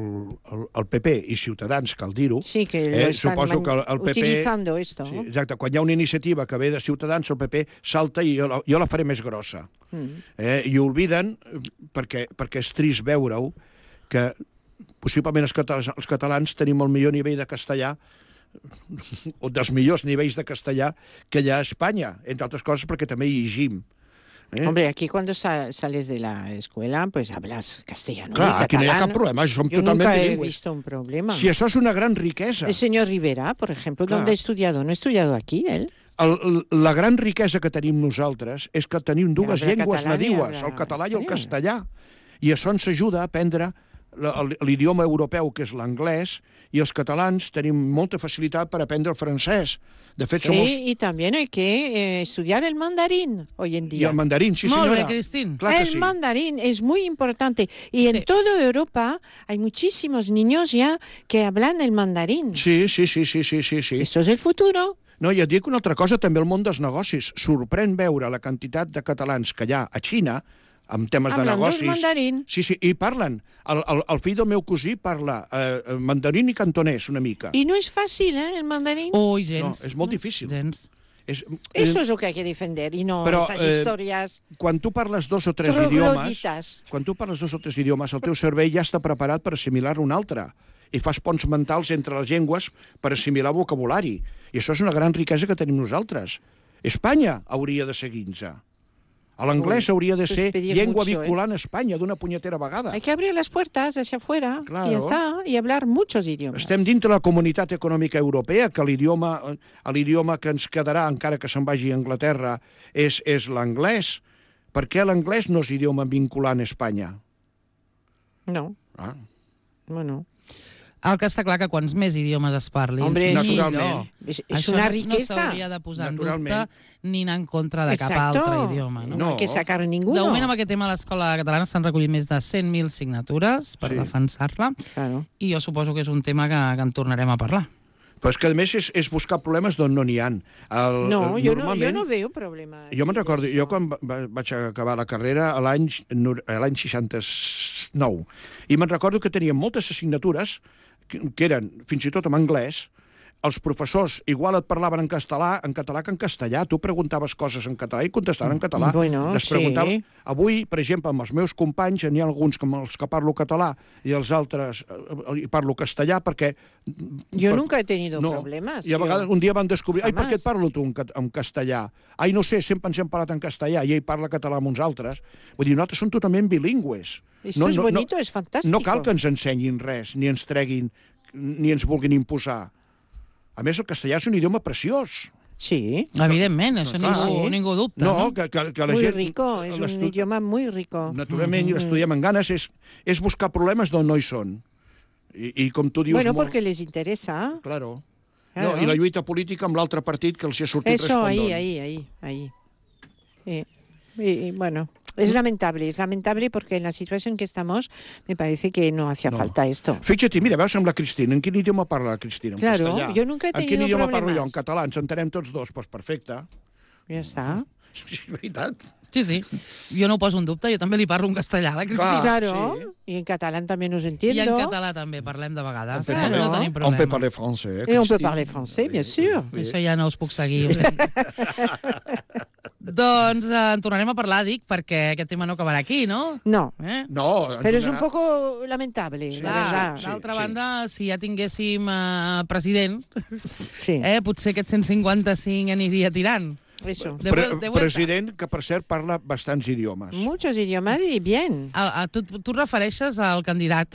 S3: el, el P P i Ciutadans, cal dir-ho,
S2: Sí, que lo
S3: eh,
S2: están
S3: suposo que el, el P P...
S2: utilizando esto.
S3: Sí, exacte, quan hi ha una iniciativa que ve de Ciutadans, el P P salta i jo la, jo la faré més grossa.
S2: Mm.
S3: Eh, I olviden, perquè, perquè és trist veure-ho, que possiblement els catalans, els catalans tenim el millor nivell de castellà o dels millors nivells de castellà que hi ha a Espanya, entre altres coses perquè també hi llegim. Eh?
S2: Hombre, aquí cuando sa sales de la escuela, pues hablas castellano.
S3: Clar, aquí no hi ha cap problema, som
S2: Yo
S3: totalment
S2: nunca he
S3: bilingües.
S2: visto un problema.
S3: Si això és una gran riquesa.
S2: El señor Rivera, por ejemplo,
S3: Clar.
S2: ¿dónde ha estudiado? No ha estudiado aquí, él.
S3: El, la gran riquesa que tenim nosaltres és que tenim dues
S2: Habla
S3: llengües
S2: català i
S3: nadiues,
S2: habla
S3: el català i el
S2: español.
S3: castellà. I això ens ajuda a aprendre l'idioma europeu, que és l'anglès, i els catalans tenim molta facilitat per aprendre el francès. De fet,
S2: Sí,
S3: som els...
S2: y también hay que eh, estudiar el mandarín hoy en
S3: I
S2: día.
S3: el mandarín, sí
S1: Molt
S3: senyora.
S1: bé, Cristín.
S3: Clar que
S2: el
S3: sí.
S2: mandarín es muy importante. Y en
S1: Sí.
S2: toda Europa hay muchísimos niños ya que hablan el mandarín.
S3: Sí, sí, sí, sí, sí, sí, sí.
S2: Esto es el futuro.
S3: No, i et dic una altra cosa, també el món dels negocis. Sorprèn veure la quantitat de catalans que hi ha a Xina, amb temes de
S2: Hablando
S3: negocis...
S2: mandarín.
S3: Sí, sí, i parlen. El, el, el fill del meu cosí parla eh, mandarín i cantonès una mica.
S2: Y no es fácil, ¿eh? El mandarín.
S1: Ui,
S3: No,
S1: gens.
S3: és molt difícil.
S1: Gens.
S3: És,
S2: Eso
S3: eh,
S2: es lo que hay que defender y no
S3: Pero,
S2: estas
S3: eh,
S2: historias
S3: quan tu parles dos o tres idiomes,
S2: trogloditas.
S3: quan tu parles dos o tres idiomes, el teu cervell ja està preparat per assimilar un altre. I fas ponts mentals entre les llengües per assimilar vocabulari. I això és una gran riquesa que tenim nosaltres. Espanya hauria de seguir-nos. L'anglès
S2: Uy,
S3: hauria de
S2: pues
S3: ser
S2: pedir
S3: llengua
S2: mucho, ¿eh?
S3: vehicular en Espanya d'una punyetera vegada.
S2: Hay que abrir las puertas hacia afuera
S3: Claro.
S2: y ya está, y hablar muchos idiomas.
S3: Estem dintre la Comunitat Econòmica Europea, que l'idioma l'idioma que ens quedarà, encara que se'n vagi a Anglaterra, és, és l'anglès. Per què l'anglès no és idioma vinculant a Espanya?
S2: No,
S3: Ah.
S2: bueno.
S1: El que està clar que quants més idiomes es parlin,
S2: Hombre,
S3: naturalment.
S1: millor.
S2: Es, es
S1: Això
S2: una
S1: no-
S2: riqueza.
S1: No s'hauria de posar en
S3: Naturalment.
S1: dubte ni anar en contra de cap
S2: Exacto.
S1: altre idioma. No?
S2: No,
S3: No.
S2: hay que sacar
S1: De
S2: ninguno.
S1: moment, amb aquest tema, a l'Escola Catalana s'han recollit més de cent mil signatures per
S3: Sí.
S1: defensar-la,
S2: Claro.
S1: i jo suposo que és un tema que, que en tornarem a parlar.
S3: Però és que, a més, és, és buscar problemes d'on no n'hi ha. El,
S2: No,
S3: el,
S2: yo no, yo
S3: normalment-
S2: no veo problema.
S3: Jo me'n
S2: en
S3: recordo,
S2: eso.
S3: jo quan va- vaig acabar la carrera a l'any nor- a l'any seixanta-nou, i me'n recordo que teníem moltes assignatures que, que eren fins i tot en anglès. Els professors igual et parlaven en català, en català que en castellà. Tu preguntaves coses en català i contestaven en català.
S2: Bueno,
S3: Les
S2: sí.
S3: preguntava... Avui, per exemple, amb els meus companys, n'hi ha alguns com els que parlo català i els altres eh, eh, parlo castellà perquè...
S2: Yo
S3: per-
S2: nunca he tenido
S3: no.
S2: problemas.
S3: I a
S2: yo.
S3: vegades un dia van descobrir... Ai, per
S2: Jamás.
S3: què et parlo tu en, ca- en castellà? Ai, no sé, sempre ens hem parlat en castellà i ell parla català amb uns altres. Vull dir, nosaltres som totalment bilingües.
S2: Esto es bonito, es fantástico.
S3: No cal que ens ensenyin res, ni ens treguin, ni ens vulguin imposar. A més, el castellà és un idioma preciós.
S2: Sí,
S1: Evidentment, això
S3: Clar.
S1: ningú,
S2: Sí.
S1: ningú dubta.
S3: No,
S1: No?
S3: que, que, que la
S2: muy
S3: gent...
S2: rico, es un
S3: l'estu-
S2: idioma muy rico.
S3: Naturalment, i l'estudiem amb ganes, és, és buscar problemes d'on no hi són. I, i com tu dius...
S2: Bueno,
S3: molt...
S2: porque les interesa.
S3: Claro.
S2: Claro.
S3: No, I la lluita política amb l'altre partit que els hi ha sortit
S2: Eso, ahí,
S3: respondón.
S2: ahí, ahí, ahí. Eh, y, y bueno, es lamentable, es lamentable porque en la situación que estamos me parece que no hacía
S3: No.
S2: falta esto.
S3: Fixa't, mira, veus amb la Cristina. En quin idioma parla la Cristina? En
S2: Claro,
S3: castellà.
S2: jo nunca he
S3: En quin
S2: tenido
S3: idioma parlo
S2: problemas.
S3: jo? En català. Ens entenem tots dos. Doncs pues perfecte.
S2: Ya está.
S3: Sí, és veritat.
S1: Sí, sí. Jo no ho poso en dubte, jo també li parlo en castellà a la Cristina.
S3: Ah,
S2: Claro,
S3: sí.
S2: y en catalán también os
S1: I
S2: entiendo.
S1: en català també parlem de vegades.
S2: Claro.
S1: No tenim
S3: On
S1: problema.
S3: peut parler français, eh,
S2: Et on peut
S3: Cristina?
S2: parler français, bien sûr.
S1: Això ja no us puc seguir. Doncs eh, en tornarem a parlar, dic, perquè aquest tema no acabarà aquí, no?
S2: No,
S1: Eh?
S3: No, ens
S2: pero es un
S3: donarà-
S2: poco lamentable, la
S1: Clar,
S2: verdad.
S3: sí.
S1: D'altra banda, si ja tinguéssim eh, president,
S2: Sí,
S1: eh, potser aquest cent cinquanta-cinc aniria tirant.
S2: eso.
S1: De,
S3: Pre
S1: vuel- de vuelta.
S3: president, que per cert parla bastants idiomes.
S2: Muchos idiomas y bien.
S1: A, a, tu, tu refereixes al candidat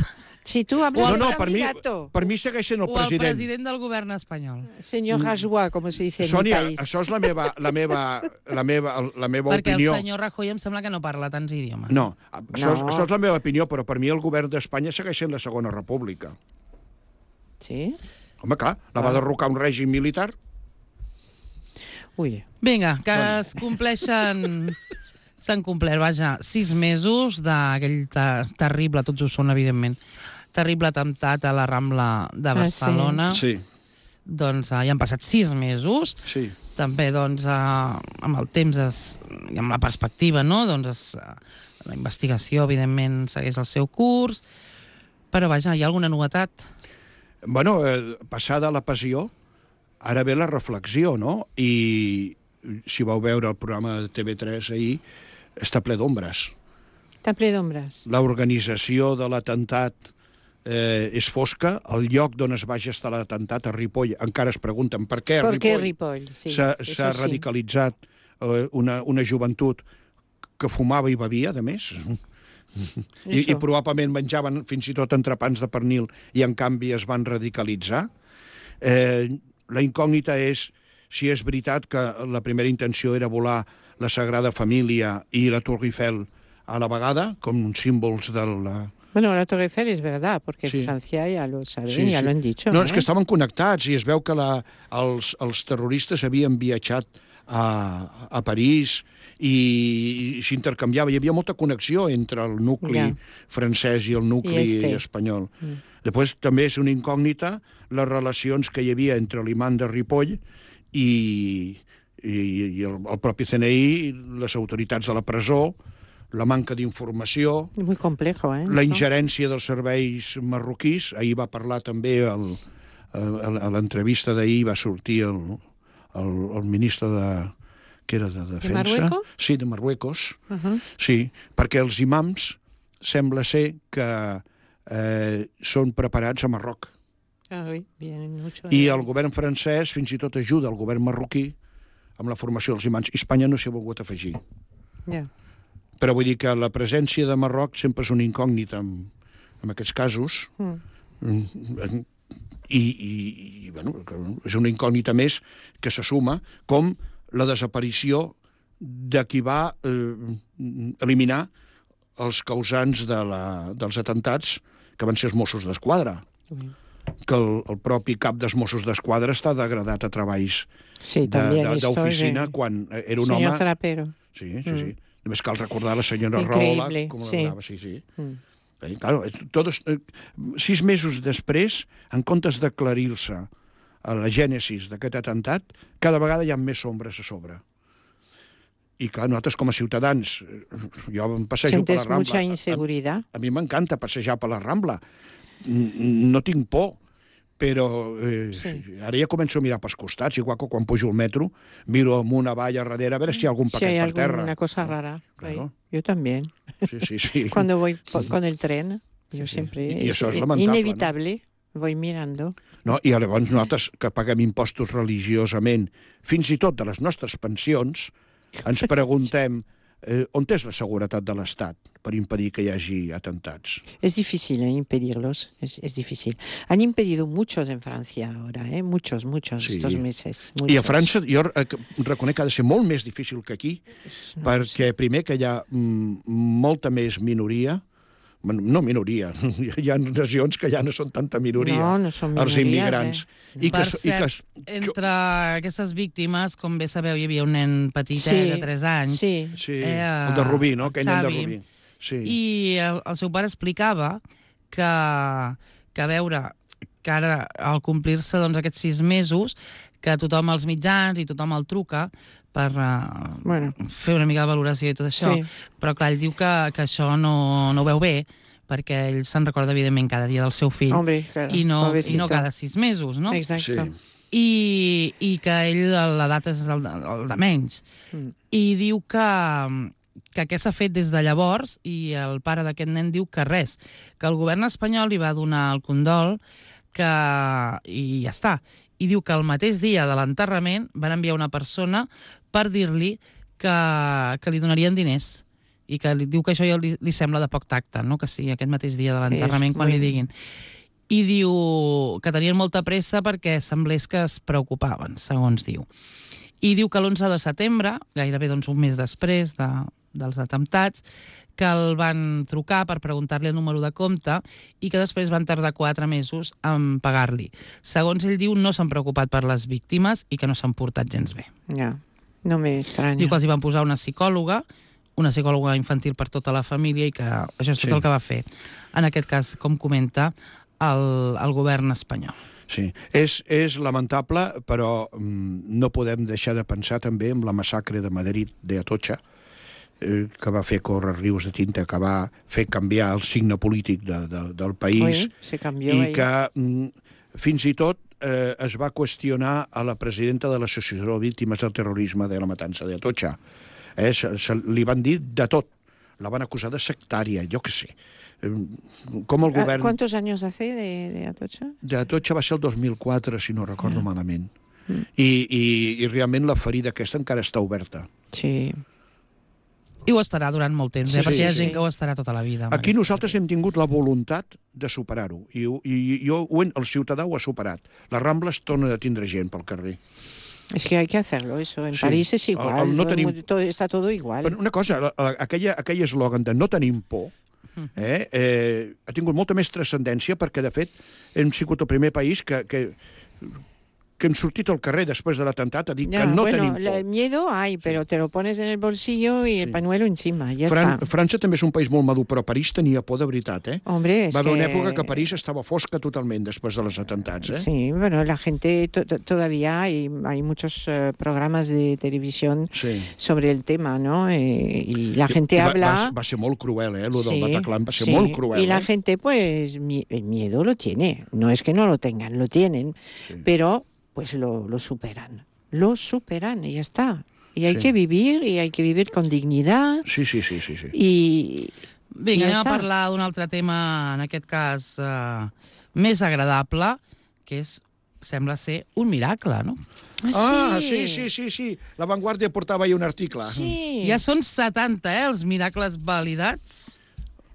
S2: Si tú hablas
S3: No,
S2: del
S3: no, per mi,
S2: candidato,
S3: per mi segueix sent el
S1: o al
S3: president.
S1: president del govern espanyol.
S2: señor Rajoy, como se dice en mi
S3: Sònia,
S2: país.
S3: això és la meva, la meva, la meva, la meva
S1: Perquè
S3: opinió.
S1: el senyor Rajoy em sembla que no parla tants idiomes.
S3: No, això, és,
S2: No.
S3: això és la meva opinió, però per mi el govern d'Espanya segueix sent la segona república.
S2: Sí.
S3: Home, clar, la va derrocar un règim militar.
S2: Uy,
S1: Vinga, que es compleixen... S'han complert, vaja, sis mesos d'aquell ter terrible, tots ho són, evidentment, terrible atemptat a la Rambla de
S2: Ah, sí.
S1: Barcelona.
S3: Sí,
S1: Doncs uh, ja han passat sis mesos.
S3: sí.
S1: també, doncs, eh, amb el temps es, i amb la perspectiva, no?, doncs es, la investigació, evidentment, segueix el seu curs, però, vaja, hi ha alguna novetat?
S3: Bueno, eh, passada la passió, ara ve la reflexió, no? I si vau veure el programa de T V tres ahir, està ple d'ombres.
S2: Està ple d'ombres.
S3: L'organització de l'atemptat eh, és fosca, el lloc d'on es va gestar l'atemptat, a Ripoll, encara es pregunten per què a
S2: Per què
S3: Ripoll
S2: Ripoll? Sí,
S3: s'ha
S2: això sí.
S3: radicalitzat eh, una, una joventut que fumava i bevia, de més. I, I probablement menjaven fins i tot entrepans de pernil i en canvi es van radicalitzar. Eh, la incògnita és si és veritat que la primera intenció era volar la Sagrada Família i la Torre Eiffel a la vegada, com símbols de la...
S2: Bueno, la Torre Eiffel es verdad, porque
S3: Sí.
S2: en Francia ya lo saben,
S3: Sí,
S2: ya
S3: sí.
S2: lo han dicho.
S3: No,
S2: ¿eh?
S3: és que estaven connectats i es veu que la, els, els terroristes havien viatjat a, a París i, i s'intercanviava. Hi havia molta connexió entre el nucli
S2: Ja.
S3: francès i el nucli
S2: I este.
S3: espanyol. Mm. Després també és una incògnita les relacions que hi havia entre l'imam de Ripoll i, i, i el, el propi C N I, les autoritats de la presó, la manca d'informació,
S2: Es muy complejo, ¿eh?
S3: la
S2: ¿no?
S3: ingerència dels serveis marroquís. Ahir va parlar també, el, el, a l'entrevista d'ahir va sortir el, el, el ministre de, que era de Defensa.
S2: Marruecos?
S3: Sí, de Marruecos.
S2: Uh -huh.
S3: Sí, perquè els imams sembla ser que eh, són preparats a Marroc.
S2: Ah, oui, vienen mucho.
S3: I el govern francès fins i tot ajuda el govern marroquí amb la formació dels imams. Espanya no s'hi ha volgut afegir.
S2: Ja.
S3: Però vull dir que la presència de Marroc sempre és una incògnita en, en aquests casos.
S2: Mm.
S3: I, i, i bueno, és una incògnita més que se suma, com la desaparició de qui va eh, eliminar els causants de la, dels atemptats, que van ser els Mossos d'Esquadra.
S2: Mm.
S3: Que el, el propi cap dels Mossos d'Esquadra està degradat a treballs
S2: Sí,
S3: de-
S2: también
S3: de-
S2: esto
S3: d'oficina
S2: es de-
S3: quan era un
S2: Señor
S3: home...
S2: Trapero.
S3: Sí, sí, sí. Només cal recordar la senyora
S2: Increïble,
S3: Rahola, com
S2: sí.
S3: l'agradava, sí, sí.
S2: Mm.
S3: Eh, claro, todos, eh, sis mesos després, en comptes d'aclarir-se a la gènesis d'aquest atemptat, cada vegada hi ha més ombres a sobre. I clar, nosaltres com a ciutadans, eh, jo em passejo per la
S2: Sientes
S3: Rambla.
S2: mucha
S3: A,
S2: inseguridad.
S3: a mi m'encanta passejar per la Rambla. N- No tinc por, però eh,
S2: Sí.
S3: ara ja començo a mirar pels costats, igual que quan pujo al metro, miro amunt, avall, a darrere, a veure si hi ha algun
S2: Si
S3: paquet
S2: hay
S3: per terra.
S2: alguna cosa
S3: No?
S2: rara.
S3: Claro.
S2: ahí. Yo también.
S3: Sí, sí, sí.
S2: Cuando voy po- con el tren, yo
S3: sí.
S2: siempre...
S3: I- i
S2: es
S3: això és
S2: i-
S3: lamentable,
S2: inevitable. Voy mirando.
S3: No? I llavors nosaltres, que paguem impostos religiosament, fins i tot de les nostres pensions, ens preguntem eh, on és la seguretat de l'Estat per impedir que hi hagi atemptats.
S2: Es difícil ¿eh? impedirlos, es, es difícil. Han impedido muchos en Francia ahora, ¿eh? muchos, muchos
S3: Sí.
S2: estos meses.
S3: I a
S2: muchos.
S3: França jo eh, reconec que ha de ser molt més difícil que aquí, perquè primer que hi ha mm, molta més minoria, bueno, no minoria, hi ha regions que ja no són tanta minoria,
S2: No, no són
S3: els
S2: minories,
S3: immigrants.
S2: eh?
S3: I que,
S1: Per
S3: i que,
S1: cert, entre aquestes víctimes, com bé sabeu, hi havia un nen petit
S2: Sí,
S1: eh, de tres anys.
S2: sí.
S3: sí,
S1: Eh,
S3: el de Rubí, no? Aquell nen de
S1: Xavi.
S3: Rubí. Sí.
S1: I el, el seu pare explicava que, que a veure, que ara, al complir-se doncs, aquests sis mesos, que tothom als mitjans i tothom el truca per uh,
S2: Bueno.
S1: fer una mica de valoració i tot això,
S2: Sí.
S1: però clar, ell diu que, que això no, no ho veu bé, perquè ell se'n recorda, evidentment, cada dia del seu fill,
S2: Hombre, claro,
S1: i, no, i
S2: pobrecito.
S1: no cada sis mesos, no?
S2: Exacto.
S3: Sí.
S1: I, i que ell, l'edat és el de, el de menys.
S2: Mm.
S1: I diu que, que què s'ha fet des de llavors, i el pare d'aquest nen diu que res, que el govern espanyol li va donar el condol, que, i ja està. I diu que el mateix dia de l'enterrament van enviar una persona per dir-li que, que li donarien diners, i que li diu que això ja li, li sembla de poc tacte, no? Que sigui aquest mateix dia de l'enterrament
S2: Sí,
S1: quan
S2: muy-
S1: li diguin. I diu que tenien molta pressa perquè semblés que es preocupaven, segons diu. I diu que l'onze de setembre, gairebé doncs, un mes després de, dels atemptats, que el van trucar per preguntar-li el número de compte i que després van tardar quatre mesos en pagar-li. Segons ell diu, no s'han preocupat per les víctimes i que no s'han portat gens bé.
S2: Ya, no me extraña.
S1: Diu que els hi van posar una psicòloga, una psicòloga infantil per tota la família, i que això és tot
S3: Sí.
S1: el que va fer. En aquest cas, com comenta, el, el govern espanyol.
S3: Sí, és, és lamentable, però mm, no podem deixar de pensar també en la massacre de Madrid de Atocha, eh, que va fer córrer rius de tinta, que va fer canviar el signe polític de, de, del país,
S2: Oi, se canvió
S3: i
S2: ahí.
S3: que mm, fins i tot eh, es va qüestionar a la presidenta de l'Associació de Víctimes del Terrorisme de la Matança de Atocha. Eh, se, se, li van dir de tot. La van acusar de sectària, jo què sé. Eh, Com el govern...
S2: ¿Cuántos años hace de, de Atocha?
S3: De Atocha va ser el dos mil quatre, si no recordo yeah. malament. Mm. I, i, I realment la ferida aquesta encara està oberta.
S2: Sí.
S1: I ho estarà durant molt temps,
S3: Sí,
S1: eh? perquè
S3: sí,
S1: hi ha
S3: sí.
S1: gent que ho estarà tota la vida.
S3: Aquí nosaltres hem tingut la voluntat de superar-ho. I, i, i jo, el ciutadà ho ha superat. La Rambla es torna a tindre gent pel carrer.
S2: Es que hay que hacerlo, eso. En
S3: Sí.
S2: París es igual,
S3: El- el no
S2: todo el
S3: tenim-
S2: mundo- todo- está todo igual.
S3: Però una cosa, la- la- aquella, aquell eslògan de no tenim por, eh, eh, ha tingut molta més transcendència perquè, de fet, hem sigut el primer país que, que, que hem sortit al carrer després de l'atemptat a dir
S2: Ya,
S3: que no
S2: bueno,
S3: tenim
S2: la-
S3: por.
S2: el miedo hay, pero te lo pones en el bolsillo y el pañuelo encima, ya
S3: Fran
S2: está.
S3: França també és un país molt madur, però París tenia por de veritat, eh?
S2: Hombre, es
S3: Va haver
S2: que...
S3: una època que París estava fosca totalment després de les atentats, eh?
S2: Sí, bueno, la gente to- to- todavía hay, hay muchos eh, programas de televisión
S3: Sí.
S2: sobre el tema, ¿no? Eh, y la gente
S3: va,
S2: habla...
S3: Va, va ser molt cruel, eh? Lo del
S2: Sí,
S3: Bataclan va ser
S2: sí,
S3: molt cruel,
S2: y la
S3: eh?
S2: gente, pues, mi- el miedo lo tiene. No es que no lo tengan, lo tienen,
S3: Sí.
S2: pero pues lo, lo superan. Lo superan y ya está. Y hay
S3: Sí.
S2: que vivir, y hay que vivir con dignidad.
S3: Sí, sí, sí, sí, sí.
S2: Y...
S1: Vinga,
S2: I ja
S1: anem a
S2: està.
S1: parlar d'un altre tema, en aquest cas, eh, més agradable, que és, sembla ser un miracle, no?
S3: Ah, sí, sí, sí, sí. La Vanguardia portava ahir un article.
S2: Sí.
S1: Ja són setanta, eh, els miracles validats,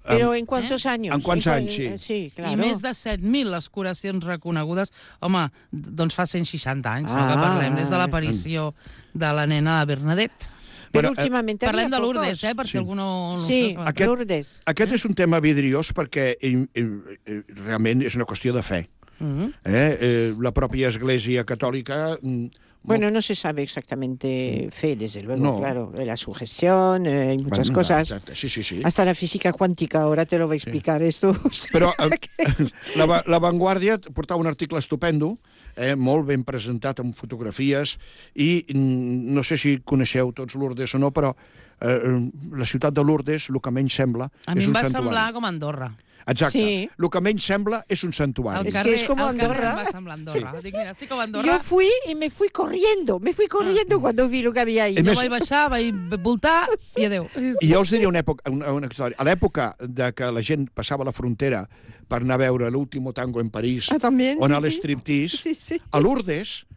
S2: Pero ¿en cuántos años?
S3: en quants
S2: cua-
S3: anys, sí.
S2: Sí, claro.
S1: i més de set mil les curacions reconegudes. Home, doncs fa cent seixanta anys, no, que
S2: Ah.
S1: parlem des de l'aparició de la nena de Bernadette.
S2: Pero
S3: Bueno, eh,
S2: últimamente
S1: Parlem
S2: había
S1: de Lourdes,
S2: pocos.
S1: eh, per si
S3: Sí.
S1: algú no, no
S2: Sí,
S1: ho sap.
S3: Aquest-
S2: Lourdes.
S3: Aquest és un tema vidriós perquè eh, eh, eh, realment és una qüestió de fe.
S1: Mhm.
S3: Eh? Eh, la pròpia Església Catòlica... mm,
S2: Bueno, no se sabe exactamente fe, desde luego,
S3: No.
S2: claro. La sugestión, eh, hay muchas
S3: bueno,
S2: cosas.
S3: exacte, Sí, sí, sí.
S2: Hasta la física cuántica, ahora te lo va a explicar esto.
S3: Però eh, la, Va- la Vanguardia portava un article estupendo, eh, molt ben presentat amb fotografies, i mm, no sé si coneixeu tots Lourdes o no, però eh, la ciutat de Lourdes, el que menys sembla,
S1: A mi
S3: és
S1: em
S3: un
S1: va
S3: santuari.
S1: semblar com Andorra.
S3: Exacte.
S2: Sí.
S3: El que menys sembla és un
S1: El
S3: santuari.
S2: Es que
S1: carrer,
S2: es como
S1: el carrer
S2: Andorra.
S1: em va semblar Andorra. Dic, mira, estic com a Andorra.
S2: Yo fui y me fui corriendo, me fui corriendo cuando vi lo que había ahí.
S3: És
S1: Jo
S3: més-
S1: vaig baixar, vaig voltar i adéu.
S3: I jo us diré una, època, una, una història. A l'època de que la gent passava la frontera per anar a veure l'último tango en París,
S2: Ah, también,
S3: o anar
S2: sí,
S3: a
S2: sí.
S3: l'estriptease,
S2: Sí, sí.
S3: a Lourdes,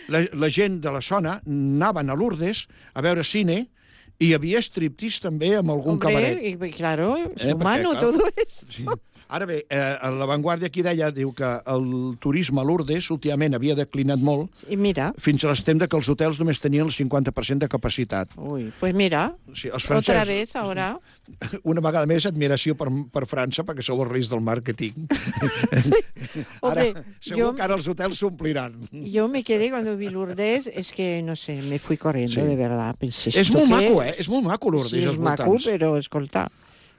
S3: la, la gent de la zona anaven a Lourdes a veure cine, i hi havia striptease també amb algun
S2: Hombre,
S3: cabaret.
S2: y, y claro, es
S3: Eh,
S2: humano
S3: porque, claro,
S2: todo eso.
S3: Sí. Ara bé, eh, a La Vanguardia aquí deia, diu que el turisme a Lourdes últimament havia declinat molt,
S2: Y mira,
S3: fins a l'extrem de que els hotels només tenien el cinquanta per cent de capacitat.
S2: uy, pues mira,
S3: Sí, els
S2: otra
S3: francesos,
S2: vez ahora.
S3: una vegada més, admiració per, per França, perquè sou els reis del màrqueting.
S2: Hombre,
S3: Ara, segur
S2: yo,
S3: que ara els hotels s'ompliran.
S2: yo me quedé cuando vi Lourdes, es que, no sé, me fui corriendo,
S3: Sí.
S2: de verdad. Pensé,
S3: És
S2: ¿esto
S3: molt
S2: qué?
S3: maco, eh? És molt maco, Lourdes,
S2: Sí,
S3: els
S2: es maco,
S3: voltants.
S2: pero escolta.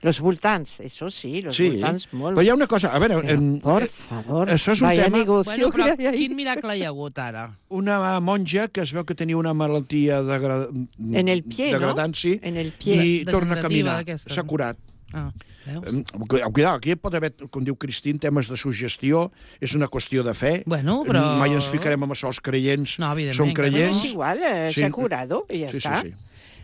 S2: Los voltants, eso sí, los
S3: Sí,
S2: voltants molt.
S3: però hi ha una cosa, a veure,
S2: Pero,
S3: en,
S2: por favor,
S3: això és un
S2: vaya
S3: tema-
S2: negocio
S1: Bueno,
S2: que
S1: però
S2: hay ahí.
S1: quin miracle hi ha hagut ara?
S3: una monja que es veu que tenia una malaltia degra...
S2: En el pie, no?
S3: degradant, sí,
S2: En el pie.
S3: i torna a
S1: Degenerativa
S3: caminar.
S1: d'aquesta.
S3: S'ha curat.
S1: Ah, veus?
S3: Em, Cuidado, aquí pot haver, com diu Cristín, temes de suggestió, és una qüestió de fe.
S1: Bueno, però-
S3: Mai ens ficarem amb això, els creients
S1: No, evidentment
S3: són
S1: que
S2: Bueno,
S3: creients.
S2: es igual, eh,
S3: Sí.
S2: se ha curado y ya
S3: Sí, sí,
S2: está.
S3: sí.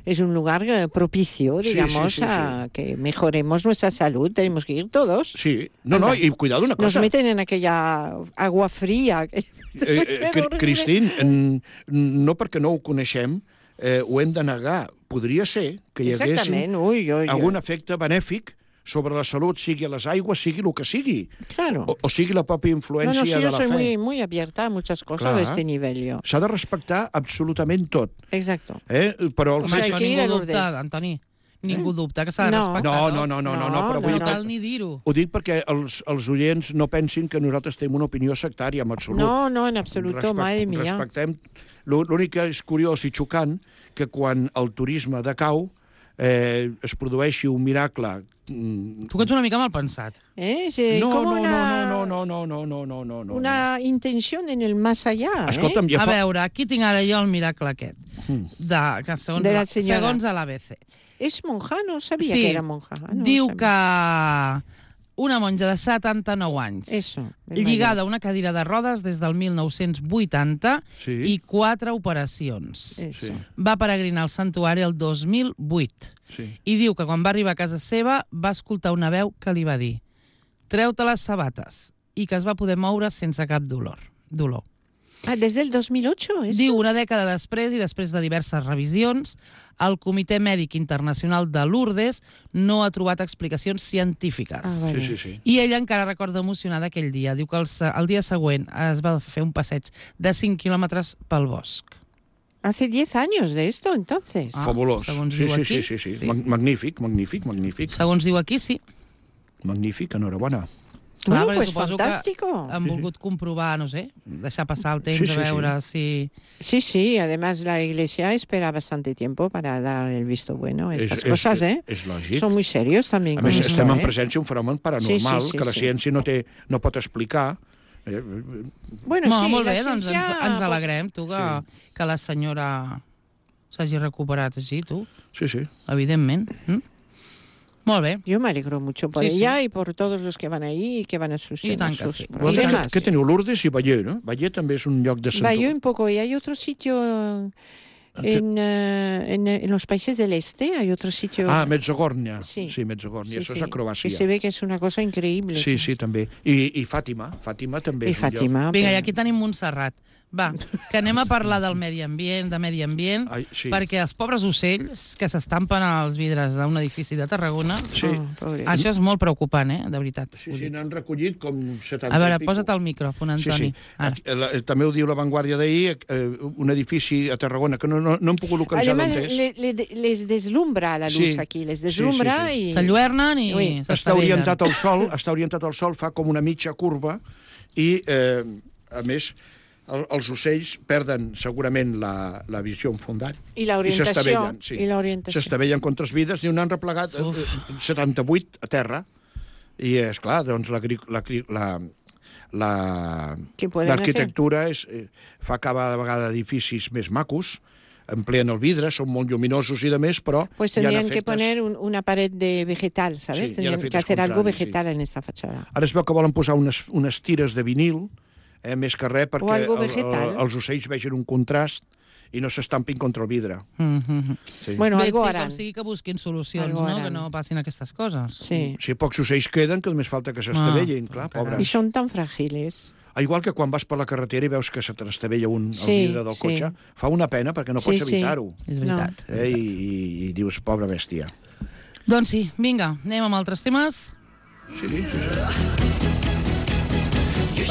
S2: Es un lugar eh, propicio,
S3: Sí, sí,
S2: digamos,
S3: sí, sí.
S2: a que mejoremos nuestra salud. Tenemos que ir todos.
S3: Sí, no, no,
S2: Anda.
S3: i cuidado una
S2: Nos
S3: cosa.
S2: meten en aquella agua fría. Que
S3: Eh, eh, Cri- Cristín, en- no perquè no ho coneixem, eh, ho hem de negar. Podria ser que hi hagués
S2: Exactament, ui, ui, ui.
S3: algun efecte benèfic sobre la salut, sigui a les aigües, sigui el que sigui,
S2: Claro.
S3: o, o sigui la pròpia
S2: No,
S3: influència
S2: no, sí,
S3: de
S2: yo
S3: la
S2: soy
S3: fe.
S2: muy, muy abierta a muchas cosas
S3: Clar.
S2: de este nivel, yo.
S3: S'ha de respectar absolutament tot.
S2: Exacto.
S3: Eh? Però el
S1: Home,
S2: sea,
S3: fet...
S2: hay
S1: això
S2: que ir
S1: ningú
S2: a
S1: dubta,
S2: Lourdes.
S1: Antoni. Ningú dubta que s'ha de
S2: No.
S1: respectar.
S3: No, no, no, no, no, no,
S2: No,
S3: però
S2: no,
S3: vull
S1: No
S3: dir
S1: cal
S3: que...
S1: ni dir-ho.
S3: Ho dic perquè els, els oients no pensin que nosaltres tenim una opinió sectària, en absolut.
S2: No, no, en absoluto, madre mía.
S3: Respectem... L'únic que és curiós i xocant que quan el turisme decau, eh, es produeixi un miracle...
S1: Tu que ets una mica mal pensat.
S2: ¿Eh? Sí,
S3: No,
S2: como
S3: no,
S2: una,
S3: no, no, no, no, no, no, no, no.
S2: una intención en el más allá.
S3: Escolta'm,
S2: ¿eh?
S3: ja
S1: A
S3: fa...
S1: veure, aquí tinc ara jo el miracle aquest, de, que segons,
S2: De la
S1: la,
S2: senyora.
S1: segons a l'A B C.
S2: Es monja, no sabía
S1: Sí,
S2: que era monja. Ah, no
S1: diu
S2: sabía.
S1: que una monja de setanta-nou anys,
S2: Eso. el
S1: lligada a una cadira de rodes des del mil nou-cents vuitanta
S3: Sí.
S1: i quatre operacions.
S2: mayor. Eso.
S3: Sí.
S1: Va peregrinar al santuari el dos mil vuit
S3: Sí.
S1: i diu que quan va arribar a casa seva va escoltar una veu que li va dir treu-te les sabates i que es va poder moure sense cap dolor. dolor.
S2: Ah, desde el dos mil ocho, ¿eso?
S1: Diu, una dècada després i després de diverses revisions, el Comitè Mèdic Internacional de Lourdes no ha trobat explicacions científiques.
S2: Ah, vale.
S3: Sí, sí, sí.
S1: I ella encara recorda emocionada aquell dia. Diu que el, se- el dia següent es va fer un passeig de cinc quilòmetres pel bosc.
S2: Hace diez años de esto, entonces.
S1: Ah,
S3: Fabulós.
S1: segons
S3: Sí,
S1: diu
S3: sí,
S1: aquí,
S3: sí, sí, sí.
S1: sí.
S3: Mag- Magnífic, magnífic, magnífic.
S1: Segons diu aquí, sí.
S3: Magnífic, enhorabona.
S2: Bueno,
S1: perquè
S2: pues
S1: suposo
S2: fantástico.
S1: Que han volgut comprovar, no sé, deixar passar el temps
S3: Sí, sí,
S1: a veure
S3: sí.
S1: si...
S2: Sí, sí, además la Iglesia espera bastante tiempo para dar el visto bueno a estas
S3: És- és-
S2: cosas, ¿eh?
S3: És lògic.
S2: Son muy serios también
S3: A
S2: con
S3: més,
S2: esto,
S3: estem en
S2: ¿eh?
S3: presència d'un fenomen paranormal
S2: Sí, sí, sí,
S3: que la
S2: sí.
S3: ciència no, té, no pot explicar. Eh,
S2: Bueno,
S1: No,
S2: sí,
S1: molt
S2: la
S1: bé, doncs ens,
S2: ciencia...
S1: ens alegrem, tu, que, que la senyora s'hagi recuperat així, tu,
S3: Sí, sí.
S1: evidentment. Mm? Molt bé.
S2: Yo me alegro mucho por
S1: Sí, sí.
S2: ella y por todos los que van ahí y que van a sus,
S1: I
S2: a
S1: tant que
S2: sus
S1: sí.
S3: Vosaltres
S1: I tant
S2: problemas.
S3: què, què teniu? Lourdes i Baller, no? Baller també és un lloc de
S2: Va, yo
S3: santuari.
S2: un poco, y hay otro sitio en, eh, en, en los países del este, hay otro sitio...
S3: Ah, Mezzogornia.
S2: Sí.
S3: Sí, Mezzogornia.
S2: sí,
S3: Això
S2: sí,
S3: és a Croàcia.
S2: que se ve que es una cosa increíble.
S3: Sí, sí, també. I, i Fàtima. Fàtima també
S2: Y
S3: és un lloc.
S2: Fátima.
S1: Vinga,
S2: pero-
S1: i aquí tenim Montserrat. Va, que anem a parlar del medi ambient, de medi ambient,
S3: Ai, sí.
S1: perquè els pobres ocells que s'estampen als vidres d'un edifici de Tarragona,
S3: Sí.
S2: Oh, pobre.
S1: això és molt preocupant, eh, de veritat.
S3: Sí, sí, n'han recollit com setanta
S1: A veure,
S3: i pico.
S1: posa't el micròfon,
S3: Sí,
S1: Antoni.
S3: sí.
S1: Ara.
S3: Aquí, la, també ho diu La Vanguardia d'ahir, eh, un edifici a Tarragona que no, no, no hem pogut localitzar
S2: Además,
S3: d'on és.
S2: le- le- les deslumbra la luz
S3: Sí.
S2: aquí, les
S3: Sí,
S2: deslumbra
S3: sí, sí.
S2: y...
S1: S'enlluernen i
S2: Ui.
S3: Està
S1: s'estavellen.
S3: orientat al sol, està orientat al sol, fa com una mitja curva i, eh, a més, el, els ocells perden segurament la, la visió enfundant.
S2: I l'orientació,
S3: s'estavellen, sí.
S2: i l'orientació.
S3: S'estavellen contra els vidres, n'hi n'han replegat eh, eh, setanta-vuit a terra. I, és clar, doncs la, la, la, la,
S2: Què podem
S3: l'arquitectura és, eh, fa cada vegada edificis més macos, empleen el vidre, són molt lluminosos i de més, però
S2: Pues
S3: hi ha
S2: tendrían que
S3: efectes.
S2: poner un- una pared de vegetal, ¿sabes?
S3: Sí,
S2: tendrían
S3: y
S2: que
S3: efectos
S2: hacer algo
S3: contrarios, sí.
S2: vegetal en esta fachada.
S3: Ara es veu que volen posar unes, unes tires de vinil, eh, més que res, perquè
S2: algo
S3: el,
S2: vegetal.
S3: el, els ocells vegin un contrast i no s'estampin contra el vidre.
S1: Mm -hmm.
S3: Sí.
S2: Bueno,
S1: Bé,
S2: algo
S1: sí,
S2: harán.
S1: com sigui que busquin solucions,
S2: Algo
S1: no?
S2: harán.
S1: Que no passin aquestes coses.
S2: Sí.
S3: Si pocs ocells queden, que només falta que s'estavellin,
S1: Ah,
S3: clar,
S1: caram.
S3: pobres.
S2: Y son tan frágiles.
S3: Ah, igual que quan vas per la carretera i veus que se t'estavella un
S2: Sí,
S3: el vidre del
S2: sí.
S3: cotxe, fa una pena perquè no
S2: Sí,
S3: pots
S2: sí.
S3: evitar-ho.
S1: És veritat.
S3: Eh, i, i, I dius, pobra bèstia.
S1: Doncs sí, vinga, anem amb altres temes.
S3: Sí, sí, sí.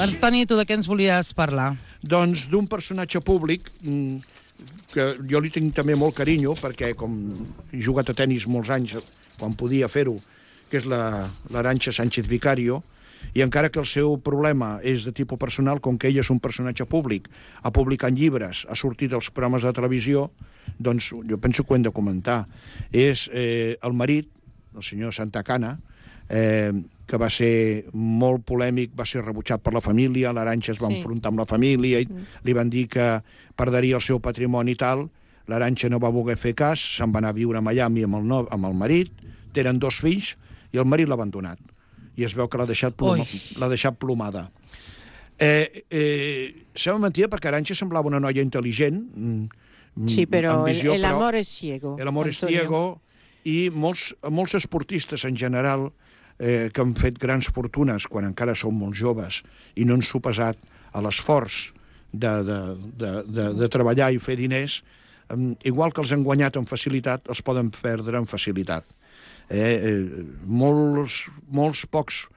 S1: Antoni, tu de què ens volies parlar?
S3: Doncs d'un personatge públic mm, que jo li tinc també molt carinyo, perquè com he jugat a tennis molts anys, quan podia fer-ho, que és la- l'Arantxa Sánchez Vicario, i encara que el seu problema és de tipus personal, com que ell és un personatge públic, ha publicat llibres, ha sortit als programes de televisió, doncs jo penso que ho hem de comentar. És eh, el marit, el senyor Santacana, eh, que va ser molt polèmic, va ser rebutjat per la família, l'Arantxa es va
S2: Sí.
S3: enfrontar amb la família, i li van dir que perdria el seu patrimoni i tal, l'Arantxa no va voler fer cas, se'n va anar a viure a Miami amb el, no, amb el marit, tenen dos fills, i el marit l'ha abandonat. I es veu que l'ha deixat, ploma, l'ha deixat plomada. Eh, eh, sembla mentida perquè Arantxa semblava una noia intel·ligent, mm,
S2: Sí, pero
S3: amb
S2: el,
S3: visió,
S2: el
S3: però
S2: amor es ciego.
S3: el amor és
S2: Antonio.
S3: ciego, i molts, molts esportistes en general eh, que han fet grans fortunes quan encara són molt joves i no han sopesat a l'esforç de, de, de, de, de treballar i fer diners, eh, igual que els han guanyat amb facilitat, els poden perdre amb facilitat. Eh, eh, molts, molts pocs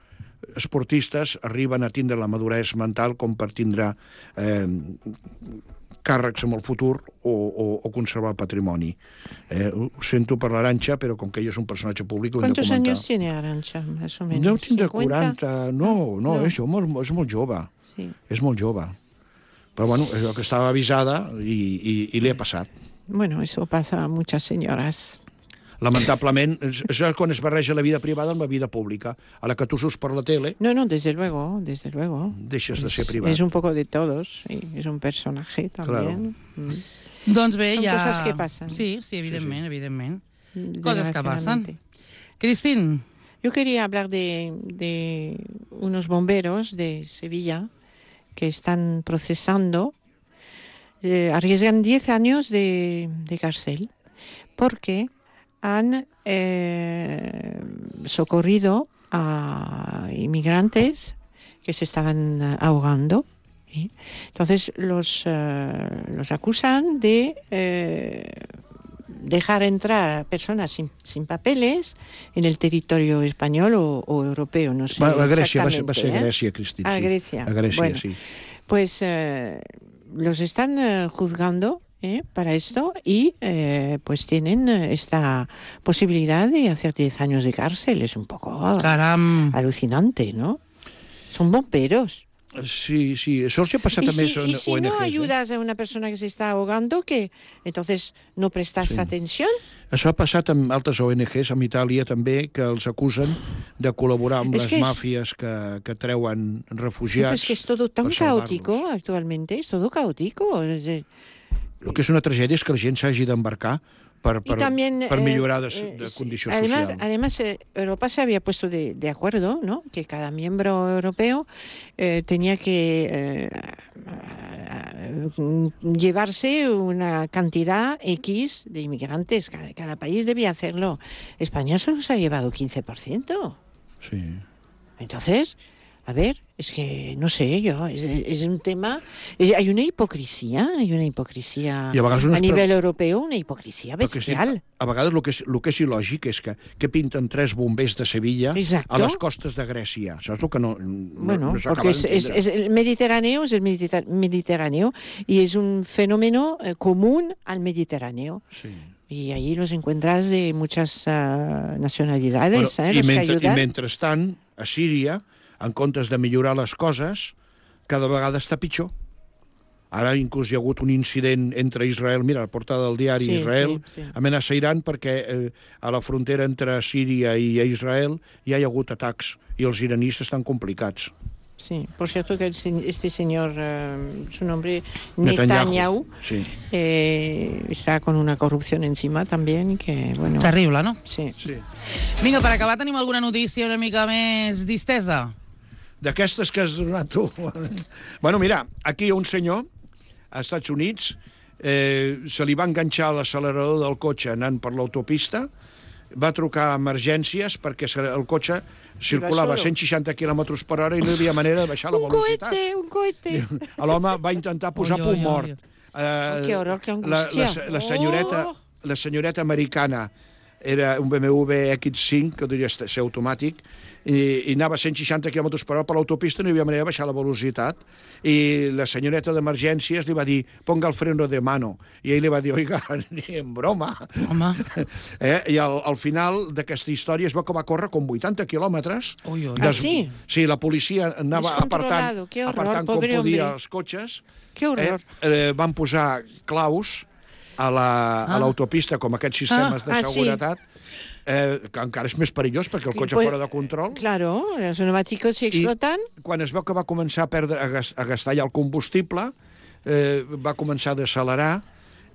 S3: esportistes arriben a tindre la maduresa mental com per tindre eh, càrrecs en el futur o, o, o conservar el patrimoni. Eh, ho sento per l'Arantxa, però com que ell és un personatge públic, ho hem de
S2: ¿Cuántos
S3: comentar.
S2: años tiene Arantxa, más o menos?
S3: Deu tindre
S2: ¿cincuenta?
S3: quaranta... No, no,
S2: No.
S3: és, molt, és molt jove.
S2: Sí.
S3: És molt jove. Però bueno, és el que estava avisada i, i, i li ha passat.
S2: Bueno, eso pasa a muchas señoras.
S3: Lamentablement, és quan es barreja la vida privada amb la vida pública. A la que tu surts per la tele...
S2: No, no, desde luego, desde luego.
S3: Deixes de ser
S2: Es,
S3: privat.
S2: es un poco de todos, sí, es un personaje también.
S3: Claro.
S2: Mm.
S1: Doncs bé,
S2: Són
S1: ja...
S2: coses que passen.
S1: Sí, sí, evidentment,
S3: Sí, sí.
S1: evidentment. Coses que passen.
S2: Desgraciadamente.
S1: Cristín,
S2: Yo quería hablar de, de unos bomberos de Sevilla que están procesando, eh, arriesgan diez años de, de cárcel porque han eh, socorrido a inmigrantes que se estaban eh, ahogando. ¿Sí? Entonces los, eh, los acusan de eh, dejar entrar a personas sin, sin papeles en el territorio español o, o europeo, no sé
S3: Va, a Grècia, va ser,
S2: exactamente.
S3: va ser
S2: ¿eh?
S3: Grècia, Cristín.
S2: A
S3: sí.
S2: Grecia.
S3: A Grècia,
S2: Bueno,
S3: sí.
S2: Pues eh, los están eh, juzgando eh, para esto y eh, pues tienen eh, esta posibilidad de hacer diez años de cárcel. Es un poco
S1: caram...
S2: alucinante, ¿no? Son bomberos.
S3: Sí, sí, això els ha passat
S2: Y
S3: també
S2: si,
S3: en
S2: y si
S3: O N Gs.
S2: no
S3: eh?
S2: ayudas a una persona que se está ahogando, que entonces no prestas
S3: Sí.
S2: atención.
S3: Això ha passat amb altres O N Gs, amb Itàlia també, que els acusen de col·laborar amb
S2: És
S3: les
S2: que és-
S3: màfies que, que treuen
S2: Sí,
S3: refugiats.
S2: pues que es todo tan
S3: per salvar-los.
S2: caótico actualmente, es todo caótico. Es de-
S3: El que és una tragèdia és que la gent s'hagi d'embarcar per,
S2: Y
S3: per,
S2: también,
S3: per
S2: eh,
S3: millorar de,
S2: eh,
S3: de
S2: sí.
S3: condicions
S2: además,
S3: socials.
S2: Además, eh, Europa se había puesto de, de acuerdo, ¿no? Que cada miembro europeo eh, tenía que eh, eh, llevarse una cantidad X de inmigrantes. Cada, cada país debía hacerlo. España solo se ha llevado quince por ciento.
S3: Sí.
S2: Entonces, a ver, es que no sé yo, es, es un tema, es- hay una hipocresía, hay una hipocresía
S3: I a vegades unes
S2: a nivel europeo, una hipocresía
S3: Però que sí,
S2: bestial.
S3: a vegades el que, és, el que és il·lògic és que, que pinten tres bombers de Sevilla
S2: Exacto.
S3: a les costes de Grècia. Això és el que no, no,
S2: Bueno,
S3: no s'acaba
S2: porque es, es-
S3: d'entendre.
S2: es el Mediterráneo, es el Mediter- Mediterráneo y es un fenómeno eh, común al Mediterráneo.
S3: Sí.
S2: Y ahí los encuentras de muchas ah, nacionalidades,
S3: Bueno,
S2: eh,
S3: i,
S2: los que
S3: mentre, I
S2: ayudan.
S3: mentrestant, a Síria, en comptes de millorar les coses, cada vegada està pitjor. Ara inclús hi ha hagut un incident entre Israel, mira, la portada del diari
S2: Sí,
S3: Israel,
S2: sí, sí.
S3: amenaça Iran perquè eh, a la frontera entre Síria i Israel ja hi ha hagut atacs i els iranis estan complicats.
S2: Sí, por cierto que el se- este señor, eh, su nombre
S3: Netanyahu.
S2: Netanyahu,
S3: Sí.
S2: eh, está con una corrupción encima también y que, bueno...
S1: Terrible, no?
S2: Sí.
S3: Sí.
S1: Vinga, per acabar, tenim alguna notícia una mica més distesa?
S3: D'aquestes que has donat tu. Bueno, mira, aquí hi ha un senyor, als Estats Units, eh, se li va enganxar a l'accelerador del cotxe anant per l'autopista, va trucar a emergències perquè se- el cotxe circulava a
S2: solo.
S3: cent seixanta quilòmetres per hora i no hi havia manera de baixar la
S2: Un
S3: velocitat.
S2: cohete, un cohete.
S3: L'home va intentar posar
S1: Oi,
S3: punt
S1: oi, oi.
S3: mort. Eh,
S2: Oh, que horror, que
S3: la,
S2: angústia.
S3: la, la, senyoreta,
S2: Oh.
S3: la senyoreta americana era un B M W X cinc, que podria ser automàtic, i, i anava a cent seixanta quilòmetres per hora per l'autopista, no hi havia manera de baixar la velocitat, i la senyoreta d'emergències li va dir, ponga el freno de mano, i ell li va dir, oiga, ni en broma.
S1: Home,
S3: Eh? I al, al final d'aquesta història es veu que va córrer com vuitanta quilòmetres.
S1: Ui, ui.
S2: Ah, sí?
S3: Sí, la policia anava
S2: Descontrolado,
S3: apartant,
S2: qué horror,
S3: apartant com
S2: pobre
S3: podia
S2: hombre.
S3: els cotxes.
S2: Qué horror.
S3: Eh, eh, van posar claus a la- a
S1: Ah.
S3: l'autopista, com aquests sistemes
S2: Ah,
S3: de
S2: ah, sí.
S3: seguretat, eh, que encara és més perillós perquè el cotxe
S2: Pues,
S3: fora de control.
S2: Claro, los neumáticos si explotan.
S3: Quan es veu que va començar a, perdre, a, gas, a gastar ja el combustible, eh, va començar a decelerar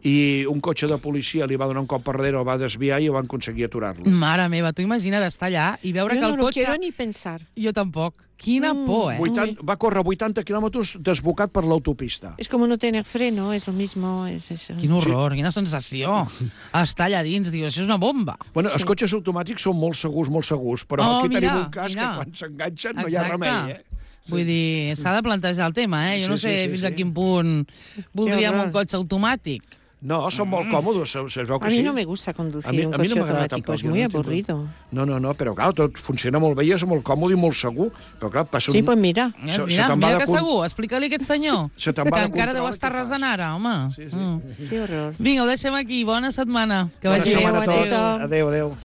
S3: i un cotxe de policia li va donar un cop per darrere, el va desviar i van aconseguir aturar-lo.
S1: mare meva, tu imagina't estar allà i veure
S2: Yo
S1: que
S2: no
S1: el
S2: lo
S1: cotxe...
S2: quiero ni pensar.
S1: Jo tampoc. Quina
S2: Mm.
S1: por, eh?
S3: vuitanta, va córrer vuitanta quilòmetres desbocat per l'autopista.
S2: Es como no tener freno, es lo mismo. Es, es-
S1: Quin horror, quina sensació. Estar allà dins, dius, això és una bomba.
S3: Bueno, els cotxes automàtics són molt segurs, molt segurs, però
S1: Oh,
S3: aquí
S1: mira,
S3: tenim un cas
S1: mira.
S3: que quan s'enganxen no hi ha
S1: Exacte.
S3: remei, eh?
S1: Vull dir, s'ha de plantejar el tema, eh? Jo
S3: Sí,
S1: no
S3: sí,
S1: sé
S3: sí,
S1: fins
S3: sí.
S1: a quin punt voldríem
S2: horror.
S1: un cotxe automàtic.
S3: No, són molt còmodes, se, se veu que
S2: A mí
S3: sí.
S2: no me gusta conducir
S3: A mi-
S2: un
S3: a mi no
S2: coche
S3: m'agrada
S2: automático,
S3: tampoc,
S2: es
S3: jo
S2: muy
S3: no tinc-
S2: aburrido.
S3: No, no, no, però clar, tot funciona molt bé i és molt còmode i molt segur. Però clar, passa un...
S2: Sí, pues mira.
S1: Mira,
S3: Se- se
S1: mira,
S3: te'n va
S1: mira
S3: de
S1: que
S3: con-
S1: segur, explica-li a aquest senyor,
S3: Se te'n
S1: que
S3: va de
S1: encara deu
S3: control,
S1: estar
S3: què fas?
S1: resant ara, home.
S3: Sí, sí.
S1: Mm.
S2: Qué horror.
S1: Vinga, ho deixem aquí. Bona setmana. Que
S3: Bona
S1: vagi bé.
S3: setmana a tots.
S2: Adéu.
S3: Adéu, adéu.